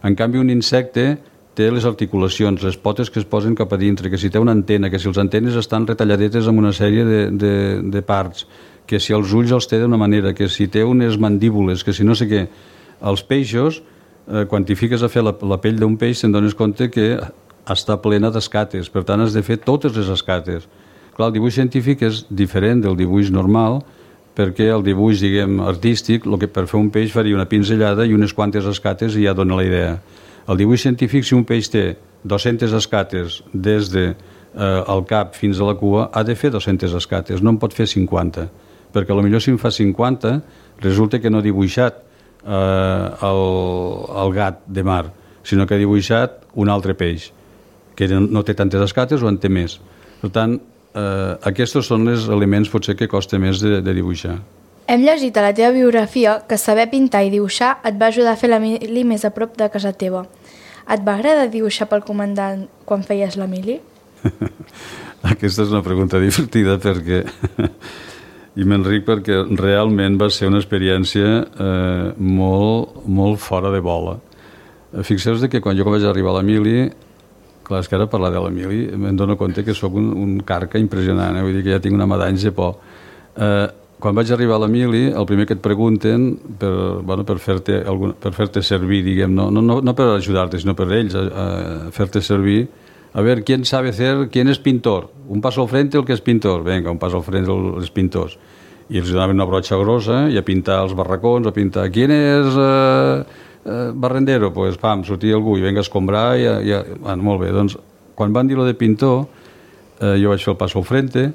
En canvi, un insecte té les articulacions, les potes que es posen cap a dintre, que si té una antena, que si les antenes estan retalladetes amb una sèrie de parts, que si els ulls els té d'una manera, que si té unes mandíbules, que si no sé què. Els peixos, quan t'hi fiques a fer la pell d'un peix, te'n dones compte que està plena d'escates, per tant has de fer totes les escates. Clar, el dibuix científic és diferent del dibuix normal, perquè el dibuix, diguem, artístic, el que per fer un peix faria una pinzellada i unes quantes escates i ja dona la idea. El dibuix científic, si un peix té 200 escates des del cap fins a la cua, ha de fer 200 escates, no en pot fer 50, perquè potser si en fa 50 resulta que no ha dibuixat el gat de mar, sinó que ha dibuixat un altre peix, que no té tantes escates o en té més. Per tant, aquests són els elements potser que costa més de dibuixar. Hem llegit a la teva biografia que saber pintar i dibuixar et va ajudar a fer la mili més a prop de casa teva. Et va agradar dibuixar pel comandant quan feies la mili? Aquesta és una pregunta divertida perquè i m'enric perquè realment va ser una experiència molt fora de bola. Fixeu-vos que quan jo vaig arribar a la mili, clar, és que ara parlar de la mili me'n dono compte que sóc un carca impressionant, vull dir que ja tinc una madanya de por. Quan vaig arribar a la mili, el primer que et pregunten per fer-te servir, diguem, no per ajudar-te, sinó per ells, a fer-te servir. A ver, ¿quién sabe hacer? ¿Quién es pintor? Un paso al frente el que és pintor. Vinga, un paso al frente els pintors. I els donaven una brotxa grossa i a pintar els barracons, a pintar... ¿Quién és barrendero? Pues, pam, sortia algú i venga a escombrar i bueno, molt bé. Doncs, quan van dir lo de pintor, jo vaig fer el paso al frente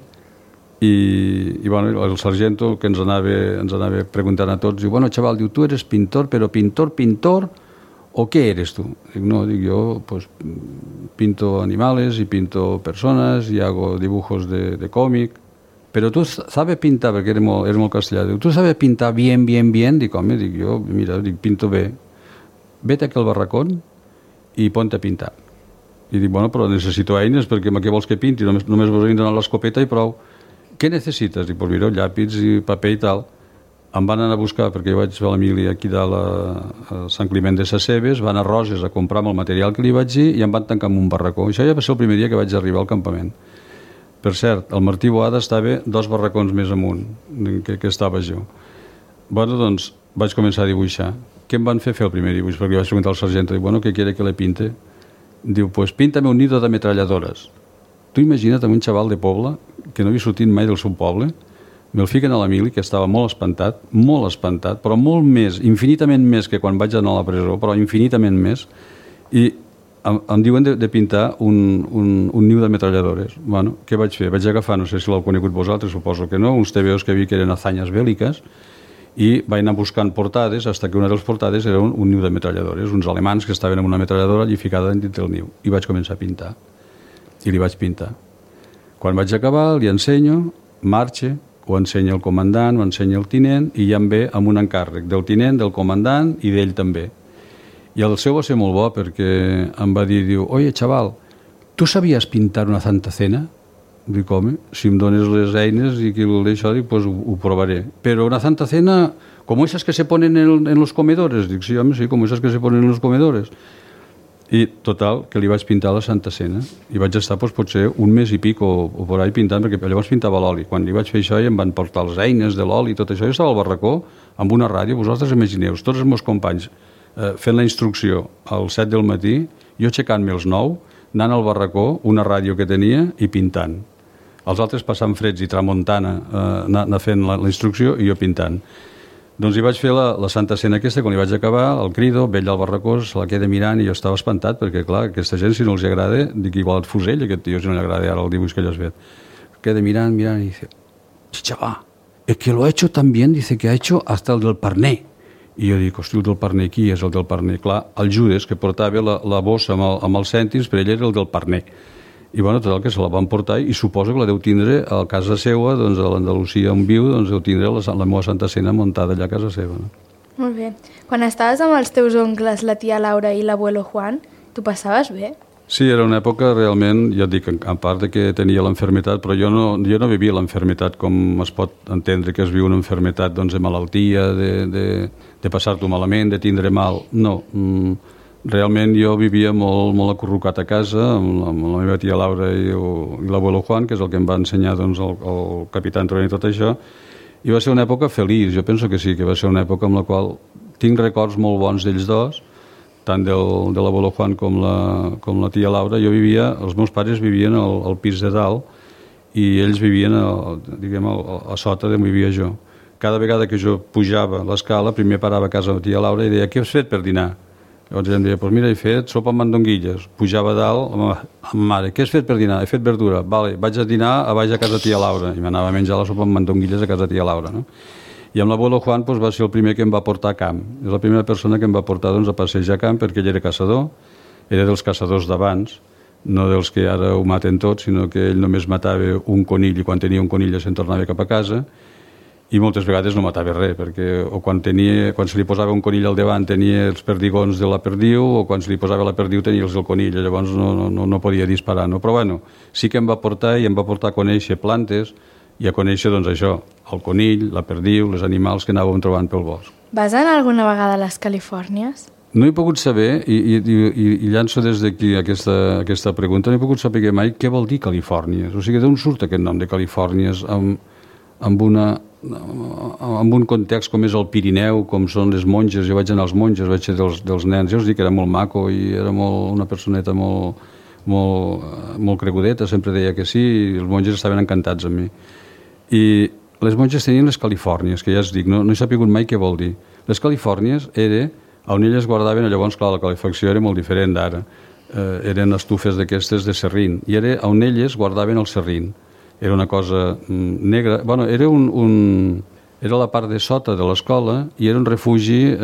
i bueno, el sargento que ens anava preguntant a tots, diu, bueno, chaval, diu, tu eres pintor, però pintor, o què eres tu? Dic, no, dic, jo pues, pinto animales y pinto personas y hago dibujos de cómic, però tu sabes pintar, perquè era molt castellà, diu, tu sabes pintar bien? Dic, home, dic, jo, mira, dic, pinto bé. Vete aquí al barracón i ponte a pintar. I dic, bueno, però necessito eines perquè què vols que pinti? Només vos he d'anar a l'escopeta i prou. Què necessites? Dic, pues mira, llàpids i paper i tal. Em van anar a buscar, perquè jo vaig fer la mili aquí dalt a Sant Climent de Sescebes, van a Roses a comprar el material que li vaig dir i em van tancar en un barracó. Això ja va ser el primer dia que vaig arribar al campament. Per cert, el Martí Boada estava 2 barracons més amunt que estava jo. Bueno, doncs vaig començar a dibuixar. Què em van fer el primer dibuix? Perquè vaig preguntar al sargento, dic, bueno, què quiere que le pinte? Diu, pues píntame un nido de ametralladores. Tu imagina't un xaval de poble que no havia sortit mai del seu poble, me'l fiquen a la mili, que estava molt espantat, però molt més, infinitament més que quan vaig anar a la presó, però infinitament més, i em diuen de pintar un niu d'ametralladores. Bueno, què vaig fer? Vaig agafar, no sé si l'heu conegut vosaltres, suposo que no, uns TVOs que havia que eren hazañas bèl·liques, i vaig anar buscant portades, fins que una de les portades era un niu d'ametralladores, uns alemans que estaven amb una ametralladora allí ficada dins del niu, i vaig començar a pintar. I li vaig pintar. Quan vaig acabar, li ensenyo, marxa, ho ensenya el comandant, ho ensenya el tinent, i ja em ve amb un encàrrec del tinent, del comandant i d'ell també. I el seu va ser molt bo perquè em va dir, diu, oye, chaval, ¿tú sabías pintar una Santa Cena? Dic, home, si em dones les eines i que això, dic, pues ho provaré. Però una Santa Cena, como esas que se ponen en los comedores. Dic, sí, home, sí, como esas que se ponen en los comedores. I, total, que li vaig pintar la Santa Cena. I vaig estar, doncs, potser un mes i pic o por ahí pintant, perquè llavors pintava l'oli. Quan li vaig fer això i em van portar les eines de l'oli i tot això, jo estava al barracó amb una ràdio, vosaltres imagineu, tots els meus companys fent la instrucció al 7 del matí, jo aixecant-me als 9, anant al barracó, una ràdio que tenia i pintant. Els altres passant freds i tramuntana, anar fent la instrucció i jo pintant. Doncs hi vaig fer la Santa Cena aquesta, quan hi vaig acabar, el crido, vell al barracó, se la queda mirant i jo estava espantat, perquè clar, aquesta gent, si no els agrada, dic, igual et fusell, aquest tio, si no li agrada ara el dibuix que ell has fet. Queda mirant, i dice, chaval, es que lo ha hecho tan bien, dice que ha hecho hasta el del Parné. I jo dic, hosti, el del Parné, qui és el del Parné? Clar, el Judes, que portava la bossa amb els cèntims, per ell era el del Parné. I bueno, tot el que se la van portar i suposo que la deu tindre a casa seva, doncs a l'Andalusia on viu, doncs deu tindre la meva Santa Cena muntada allà a casa seva. No? Molt bé. Quan estaves amb els teus oncles, la tia Laura i l'abuelo Juan, tu passaves bé? Sí, era una època realment, ja et dic, a part de que tenia l'enfermetat, però jo no vivia l'enfermetat com es pot entendre que es viu una enfermetat doncs, de malaltia, de passar-t'ho malament, de tindre mal. No, realment jo vivia molt acurrucat a casa amb la meva tia Laura i l'abuelo Juan, que és el que em va ensenyar doncs, el capità Antonio i tot això, i va ser una època feliç. Jo penso que sí, que va ser una època en la qual tinc records molt bons d'ells dos, tant de l'abuelo Juan com la tia Laura. Els meus pares vivien al pis de dalt i ells vivien a sota d'on vivia jo. Cada vegada que jo pujava l'escala, primer parava a casa de la tia Laura i deia, què has fet per dinar? Llavors em deia, doncs mira, he fet sopa amb mandonguilles. Pujava a dalt, amb mare, què has fet per dinar? He fet verdura. Vale, vaig a dinar a baix a casa tia Laura. I m'anava a menjar la sopa amb mandonguilles a casa tia Laura. No? I amb l'abuelo Juan doncs, va ser el primer que em va portar a camp. És la primera persona que em va portar doncs, a passejar a camp, perquè ell era caçador, era dels caçadors d'abans, no dels que ara ho maten tots, sinó que ell només matava un conill i quan tenia un conill se'n tornava cap a casa. I moltes vegades no matava res, perquè o quan se li posava un conill al davant tenia els perdigons de la perdiu, o quan se li posava la perdiu tenia els del conill, llavors no podia disparar. No? Però bueno, sí que em va portar i em va portar a conèixer plantes i a conèixer doncs, això, el conill, la perdiu, els animals que anàvem trobant pel bosc. Vas anar alguna vegada a les Califòrnies? No he pogut saber, i llanço des d'aquí aquesta pregunta, no he pogut saber mai què vol dir Califòrnies. O sigui, d'on surt aquest nom de Califòrnies amb un context com és el Pirineu, com són les monges. Jo vaig anar als monges, vaig ser dels nens. Jo us dic que era molt maco i era una personeta molt cregudeta, sempre deia que sí, i els monges estaven encantats amb mi. I les monges tenien les Califòrnies, que ja us dic, no he sapigut mai què vol dir. Les Califòrnies era on elles guardaven, llavors, clar, la calefacció era molt diferent d'ara. Eren estufes d'aquestes de serrín, i era on elles guardaven el serrín. Era una cosa negra, bueno, era la part de sota de l'escola i era un refugi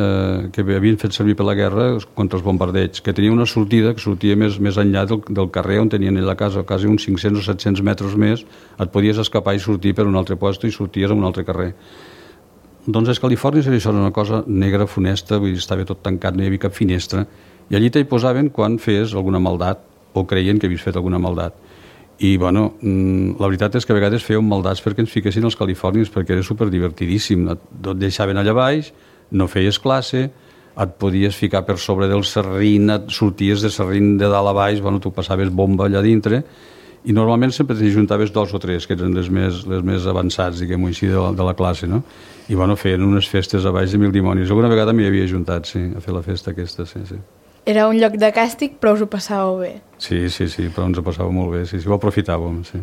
que havien fet servir per la guerra contra els bombardeigs, que tenia una sortida que sortia més enllà del carrer on tenien la casa, quasi uns 500 o 700 metres més, et podies escapar i sortir per un altre lloc i sorties a un altre carrer. Doncs les Califòrnies era això, una cosa negra, funesta, vull dir, estava tot tancat, no hi havia cap finestra, i allí t'hi posaven quan feies alguna maldat, o creien que havies fet alguna maldat. I, bueno, la veritat és que a vegades fèiem maldats perquè ens fiquessin als Califòrnies, perquè era superdivertidíssim. Et deixaven allà baix, no feies classe, et podies ficar per sobre del serrín, et sorties de serrín de dalt a baix, bueno, tu passaves bomba allà dintre, i normalment sempre t'hi juntaves 2 o 3, que eren les més avançats, diguem-ho així, de la classe, no? I, bueno, feien unes festes a baix de mil dimonis. Alguna vegada m'hi havia juntat, sí, a fer la festa aquesta, sí. Era un lloc de càstig, però us ho passàveu bé. Sí, però ens ho passàvem molt bé, sí, ho aprofitàvem, sí.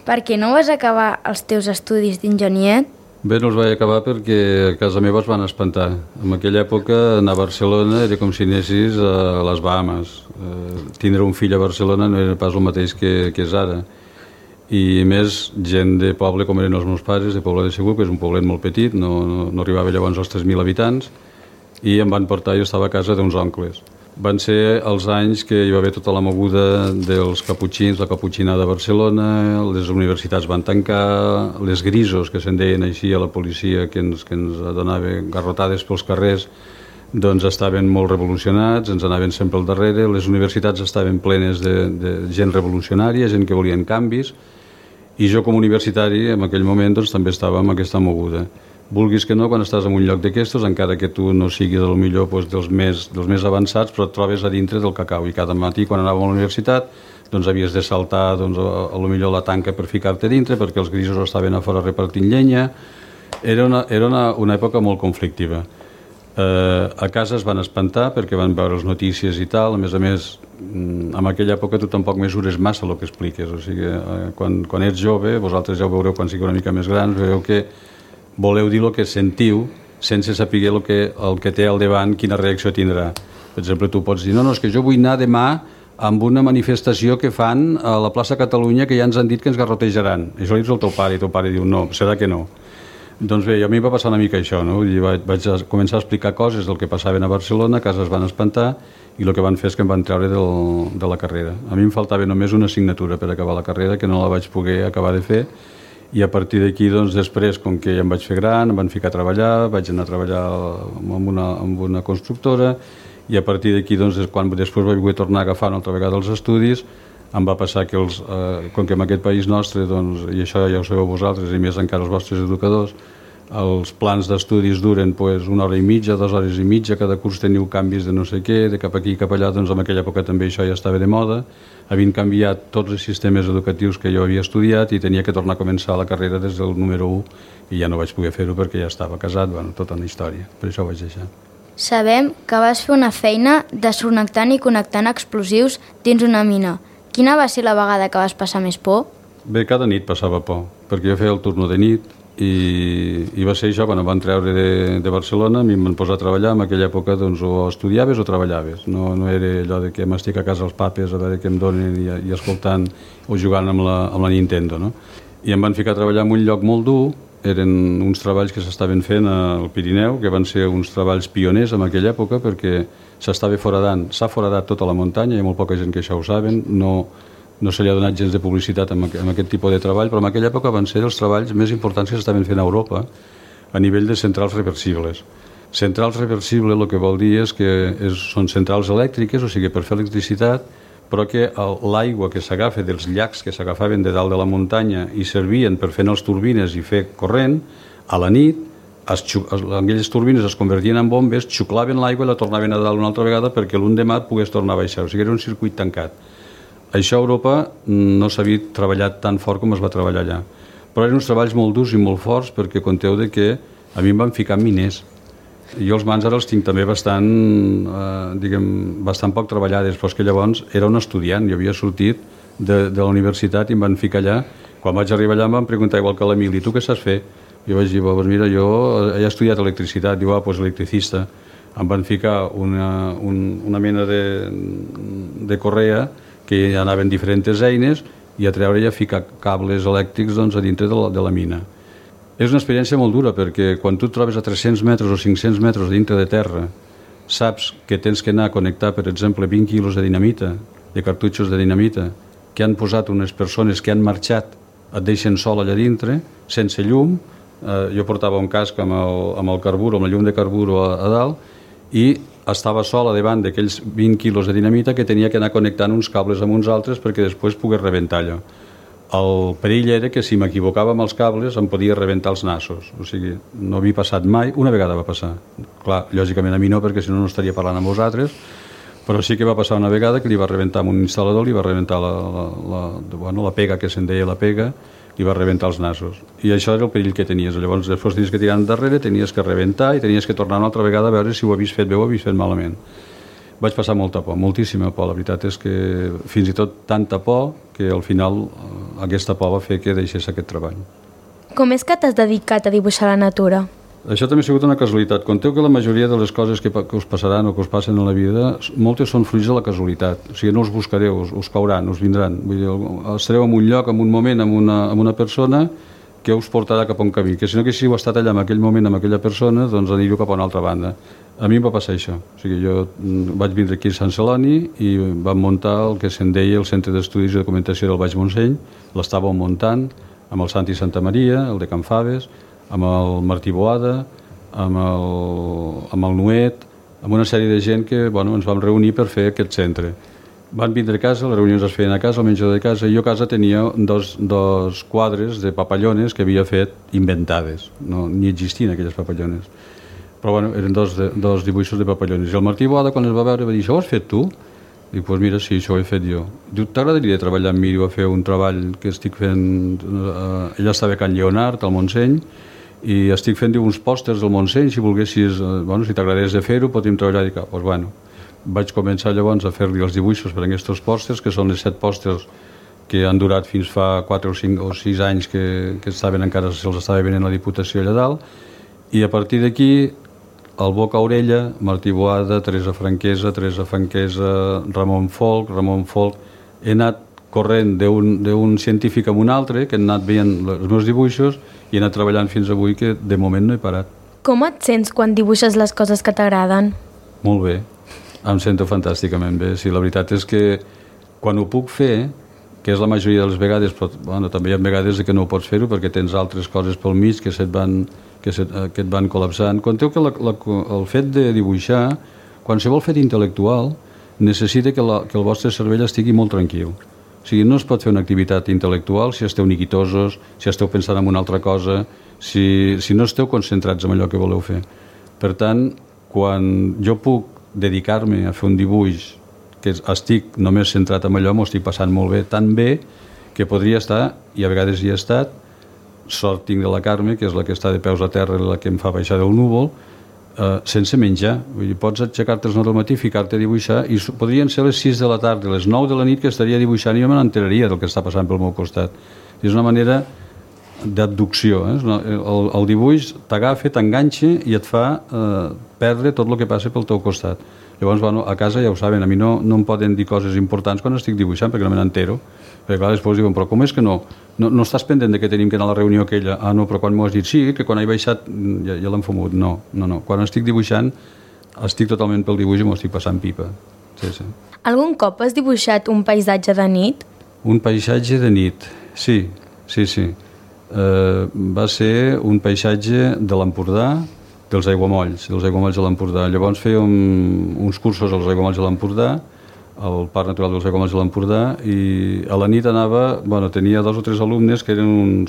Per què no vas acabar els teus estudis d'enginyer? Bé, no els vaig acabar perquè a casa meva es van espantar. En aquella època anar a Barcelona era com si anessis a les Bahamas. Tindre un fill a Barcelona no era pas el mateix que és ara. I més gent de poble com eren els meus pares, de Poble de Segur, que és un poblet molt petit, no arribava llavors als 3.000 habitants, i em van portar, jo estava a casa d'uns oncles. Van ser els anys que hi va haver tota la moguda dels caputxins, la caputxinada de Barcelona, les universitats van tancar, les grisos, que se'n deien així a la policia, que ens donava garrotades pels carrers, doncs estaven molt revolucionats, ens anaven sempre al darrere, les universitats estaven plenes de gent revolucionària, gent que volien canvis, i jo com a universitari en aquell moment doncs, també estava amb aquesta moguda. Vulguis que no, quan estàs en un lloc d'aquestos, encara que tu no siguis del millor doncs, dels més avançats, però et trobes a dintre del cacau, i cada matí quan anàvem a la universitat doncs havies de saltar doncs, a lo millor la tanca per ficar-te dintre perquè els grisos estaven a fora repartint llenya. Era una època molt conflictiva. A casa es van espantar perquè van veure les notícies i tal. A més, en aquella època tu tampoc mesures massa el que expliques. O sigui, quan ets jove, vosaltres ja ho veureu quan sigueu una mica més grans, veieu que voleu dir el que sentiu sense saber el que té al davant, quina reacció tindrà. Per exemple, tu pots dir, no, és que jo vull anar demà amb una manifestació que fan a la plaça Catalunya que ja ens han dit que ens garrotejaran. Això li dius al teu pare i el teu pare diu, no, serà que no. Doncs bé, a mi va passar una mica això, no? Vaig començar a explicar coses del que passaven a Barcelona, a casa es van espantar i el que van fer és que em van treure de la carrera. A mi em faltava només una assignatura per acabar la carrera, que no la vaig poder acabar de fer, i a partir d'aquí, doncs, després, com que ja em vaig fer gran, em van ficar a treballar, vaig anar a treballar amb una constructora, i a partir d'aquí, doncs, quan després vaig poder tornar a agafar una altra vegada els estudis, em va passar que, com que en aquest país nostre, doncs, i això ja ho sabeu vosaltres, i més encara els vostres educadors, els plans d'estudis duren pues, 1 hora i mitja, 2 hores i mitja, cada curs teniu canvis de no sé què, de cap aquí i cap allà, doncs en aquella època també això ja estava de moda, havien canviat tots els sistemes educatius que jo havia estudiat i tenia que tornar a començar la carrera des del número 1 i ja no vaig poder fer-ho perquè ja estava casat, bueno, tota una història, per això ho vaig deixar. Sabem que vas fer una feina desconnectant i connectant explosius dins una mina. Quina va ser la vegada que vas passar més por? Bé, cada nit passava por, perquè jo feia el turno de nit i va ser això, quan em van treure de Barcelona, a mi em van posar a treballar, en aquella època doncs, o estudiaves o treballaves, no era allò de que m'estic a casa als papes a veure què em donen i escoltant o jugant amb la Nintendo, no? I em van ficar a treballar en un lloc molt dur, eren uns treballs que s'estaven fent al Pirineu, que van ser uns treballs pioners en aquella època perquè s'estava foradant, s'ha foradat tota la muntanya, hi ha molt poca gent que això ho saben, no se li ha donat gens de publicitat amb aquest tipus de treball, però en aquella època van ser els treballs més importants que s'estaven fent a Europa a nivell de centrals reversibles. Centrals reversibles el que vol dir és que són centrals elèctriques, o sigui, per fer electricitat, però que l'aigua que s'agafa dels llacs que s'agafaven de dalt de la muntanya i servien per fer les turbines i fer corrent, a la nit, aquelles turbines es convertien en bombes, xuclaven l'aigua i la tornaven a dalt una altra vegada perquè l'endemà pogués tornar a baixar, o sigui, era un circuit tancat. Això a Europa no s'havia treballat tan fort com es va treballar allà, però eren uns treballs molt durs i molt forts perquè conteu de que a mi em van ficar miners. Jo els mans ara els tinc també bastant poc treballades, però és que llavors era un estudiant, jo havia sortit de la universitat i em van ficar allà. Quan vaig arribar allà em van preguntar igual que l'Emili, tu què saps fer? Jo vaig dir, doncs mira, jo he estudiat electricitat, diu, doncs electricista. Em van ficar una mena de correa que anaven diferents eines i a treure i a ficar cables elèctrics doncs, a dintre de la mina. És una experiència molt dura perquè quan tu et trobes a 300 metres o 500 metres dintre de terra, saps que tens que anar a connectar, per exemple, 20 quilos de dinamita, de cartutxos de dinamita, que han posat unes persones que han marxat, et deixen sol allà dintre, sense llum. Jo portava un casc amb el carburo, amb la llum de carburo a dalt, i estava sol a davant d'aquells 20 quilos de dinamita que tenia que anar connectant uns cables amb uns altres perquè després pogués rebentar allò. El perill era que si m'equivocava amb els cables em podia rebentar els nassos, o sigui, no havia passat mai, una vegada va passar. Clar, lògicament a mi no, perquè si no estaria parlant amb vosaltres, però sí que va passar una vegada que li va rebentar amb un instal·lador, li va rebentar la pega, que se'n deia la pega, li va rebentar els nassos. I això era el perill que tenies. Llavors, després tenies que tirar endarrere, tenies que rebentar i tenies que tornar una altra vegada a veure si ho havies fet bé o ho havies fet malament. Vaig passar molta por, moltíssima por. La veritat és que fins i tot tanta por que al final aquesta por va fer que deixés aquest treball. Com és que t'has dedicat a dibuixar la natura? Això també ha sigut una casualitat. Conteu que la majoria de les coses que us passaran o que us passen en la vida, moltes són fruits de la casualitat. O sigui, no us buscareu, us cauran, us vindran. Vull dir, estareu en un lloc, en un moment, amb una persona que us portarà cap a un camí. Que si no haguéssiu estat allà en aquell moment amb aquella persona, doncs aniríeu cap a una altra banda. A mi em va passar això. O sigui, jo vaig vindre aquí a Sant Celoni i vam muntar el que se'n deia el Centre d'Estudis i Documentació del Baix Montseny. L'estàvem muntant amb el Santi Santa Maria, el de Can Faves, amb el Martí Boada, amb el Nuet, amb una sèrie de gent que ens vam reunir per fer aquest centre. Van vindre a casa, les reunions es feien a casa, al menjador de casa, i jo a casa tenia dos quadres de papallones que havia fet inventades, ni existien aquelles papallones. Però eren dos dibuixos de papallones. I el Martí Boada, quan els va veure, va dir, això ho has fet tu? Dic, doncs mira, sí, això ho he fet jo. Diu, t'agradaria treballar amb mi? Va fer un treball que estic fent... Ella estava a Can Lleonard, al Montseny, i estic fent uns pòsters del Montseny, si volguessis, si t'agradés de fer-ho, podem treballar. Dic, doncs bueno, vaig començar llavors a fer-li els dibuixos per a aquests pòsters, que són les 7 pòsters que han durat fins fa 4 o 5 o 6 anys que estaven encara, se'ls estava venent la Diputació allà dalt, i a partir d'aquí el Boca Orella, Martí Boada, Teresa Franquesa, Ramon Folk, he anat corrent d'un científic a un altre, que han anat veient els meus dibuixos i he anat treballant fins avui, que de moment no he parat. Com et sents quan dibuixes les coses que t'agraden? Molt bé, em sento fantàsticament bé. Sí, la veritat és que quan ho puc fer, que és la majoria de les vegades, però també hi ha vegades que no ho pots fer-ho perquè tens altres coses pel mig que et van col·lapsant. Conteu que el fet de dibuixar, qualsevol fet intel·lectual, necessita que el vostre cervell estigui molt tranquil. O sigui, no es pot fer una activitat intel·lectual si esteu niquitosos, si esteu pensant en una altra cosa, si no esteu concentrats en allò que voleu fer. Per tant, quan jo puc dedicar-me a fer un dibuix que estic només centrat en allò, m'ho estic passant molt bé, tan bé que podria estar, i a vegades hi he estat, sort tinc de la Carme, que és la que està de peus a terra, la que em fa baixar del núvol, sense menjar. Vull dir, pots aixecar-te al matí, ficar-te a dibuixar, i podrien ser les 6 de la tarda, les 9 de la nit que estaria dibuixant i jo me n'enteraria del que està passant pel meu costat. És una manera d'abducció. El dibuix t'agafa, t'enganxa i et fa perdre tot el que passa pel teu costat. Llavors, a casa ja ho saben, a mi no em poden dir coses importants quan estic dibuixant perquè no me n'entero. Perquè clar, després diuen, però com és que no estàs pendent de que tenim que anar a la reunió aquella? Ah, no, però quan m'ho has dit, sí, que quan he baixat ja l'hem fumut. No. Quan estic dibuixant, estic totalment pel dibuix i m'ho estic passant pipa. Sí. Algun cop has dibuixat un paisatge de nit? Un paisatge de nit, sí. Va ser un paisatge de l'Empordà, dels aiguamolls de l'Empordà. Llavors fèiem uns cursos als aiguamolls de l'Empordà, al Parc Natural dels Aiguamolls de l'Empordà, i a la nit tenia 2 o 3 alumnes que eren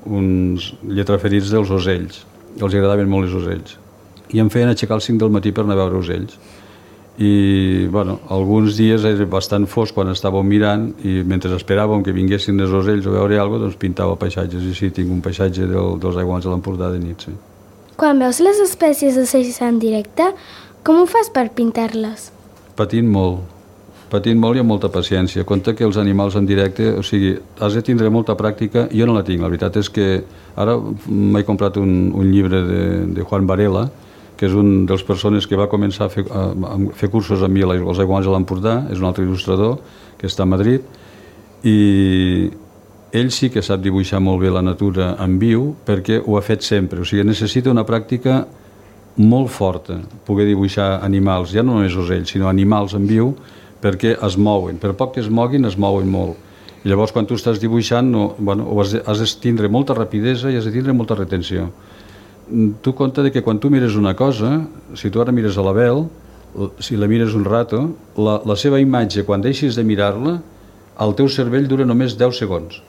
uns lletraferits dels ocells. Els agradaven molt els ocells. I em feien aixecar als 5 del matí per anar a veure ocells. I alguns dies era bastant fosc quan estàvem mirant i mentre esperàvem que vinguessin els ocells a veure alguna cosa, pintava paisatges. I sí, tinc un paisatge dels aiguamolls de l'Empordà de nit, sí. Quan veus les espècies d'ocells en directe, com ho fas per pintar-les? Patint molt i amb molta paciència. Compte que els animals en directe, o sigui, has de tindre molta pràctica. Jo no la tinc, la veritat és que ara m'he comprat un llibre de Juan Varela, que és un dels persones que va començar a fer cursos amb mi als aiguamolls de l'Empordà, és un altre il·lustrador que està a Madrid, i ell sí que sap dibuixar molt bé la natura en viu perquè ho ha fet sempre. O sigui, necessita una pràctica molt forta poder dibuixar animals, ja no només ocells, sinó animals en viu, perquè es mouen. Per poc que es moguin molt. I llavors, quan tu estàs dibuixant, has de tindre molta rapidesa i has de tindre molta retenció. Tu compte que quan tu mires una cosa, si tu ara mires a l'Abel, si la mires un rato, la seva imatge, quan deixis de mirar-la, el teu cervell dura només 10 segons.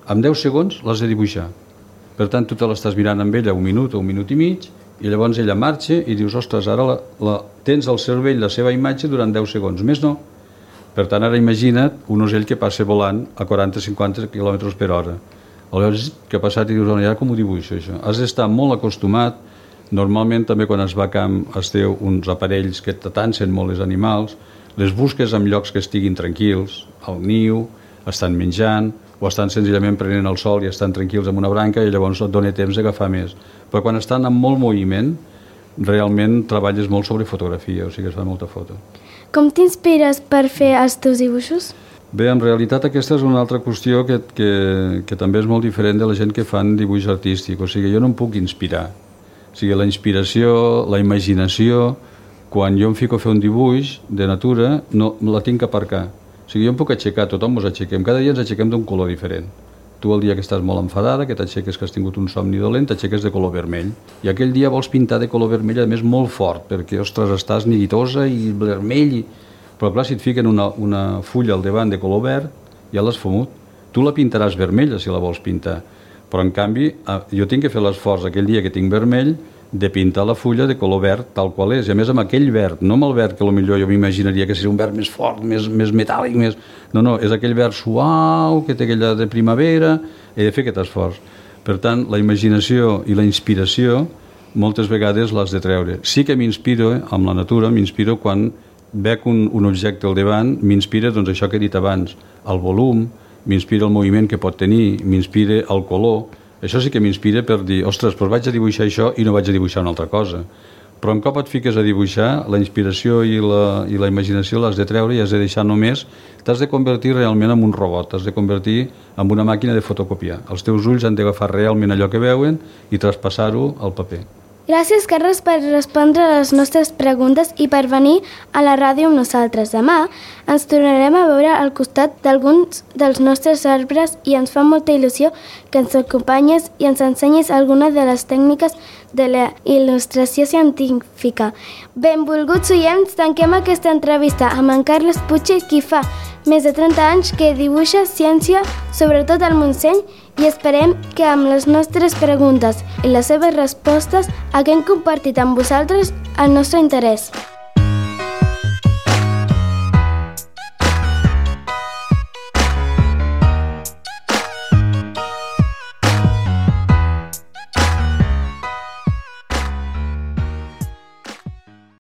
En 10 segons l'has de dibuixar. Per tant, tu te l'estàs mirant amb ella 1 minut o 1 minut i mig, i llavors ella marxa i dius, ostres, ara tens al cervell la seva imatge durant 10 segons, més no. Per tant, ara imagina't un ocell que passa volant a 40-50 km per hora. Aleshores, què ha passat? I dius, ara com ho dibuixo, això? Has d'estar molt acostumat. Normalment, també quan es va a camp, es té uns aparells que t'atansen molt els animals, les busques en llocs que estiguin tranquils, al niu, estan menjant, o estan senzillament prenent el sol i estan tranquils en una branca i llavors et dona temps d'agafar més. Però quan estan en molt moviment, realment treballes molt sobre fotografia, o sigui que es fa molta foto. Com t'inspires per fer els teus dibuixos? Bé, en realitat aquesta és una altra qüestió que també és molt diferent de la gent que fan dibuix artístic. O sigui, jo no em puc inspirar. O sigui, la inspiració, la imaginació, quan jo em fico a fer un dibuix de natura, no la tinc que aparcar. O sigui, jo em puc aixecar, tothom ens aixequem, cada dia ens aixequem d'un color diferent. Tu el dia que estàs molt enfadada, que t'aixeques, que has tingut un somni dolent, t'aixeques de color vermell. I aquell dia vols pintar de color vermell, a més molt fort, perquè, ostres, estàs neguitosa i vermell. Però clar, si et fiquen una fulla al davant de color verd, ja l'has fumut. Tu la pintaràs vermella si la vols pintar. Però en canvi, jo tinc que fer l'esforç aquell dia que tinc vermell de pintar la fulla de color verd tal qual és. I a més amb aquell verd, no amb el verd que potser jo m'imaginaria que seria un verd més fort, més metàl·lic, més... No, és aquell verd suau que té aquella de primavera. He de fer aquest esforç. Per tant, la imaginació i la inspiració moltes vegades l'has de treure. Sí que m'inspiro amb la natura, m'inspiro quan veig un objecte al davant, m'inspira doncs això que he dit abans, el volum, m'inspira el moviment que pot tenir, m'inspira el color. Això sí que m'inspira per dir, ostres, doncs vaig a dibuixar això i no vaig a dibuixar una altra cosa. Però un cop et fiques a dibuixar, la inspiració i la imaginació l'has de treure i has de deixar només, t'has de convertir realment en un robot, t'has de convertir en una màquina de fotocopiar. Els teus ulls han d'agafar realment allò que veuen i traspassar-ho al paper. Gràcies, Carles, per respondre a les nostres preguntes i per venir a la ràdio amb nosaltres. Demà ens tornarem a veure al costat d'alguns dels nostres arbres i ens fa molta il·lusió que ens acompanyes i ens ensenyis alguna de les tècniques de la il·lustració científica. Benvolguts oients, tanquem aquesta entrevista amb en Carles Puig, qui fa més de 30 anys que dibuixa ciència, sobretot al Montseny, i esperem que amb les nostres preguntes i les seves respostes haguem compartit amb vosaltres el nostre interès.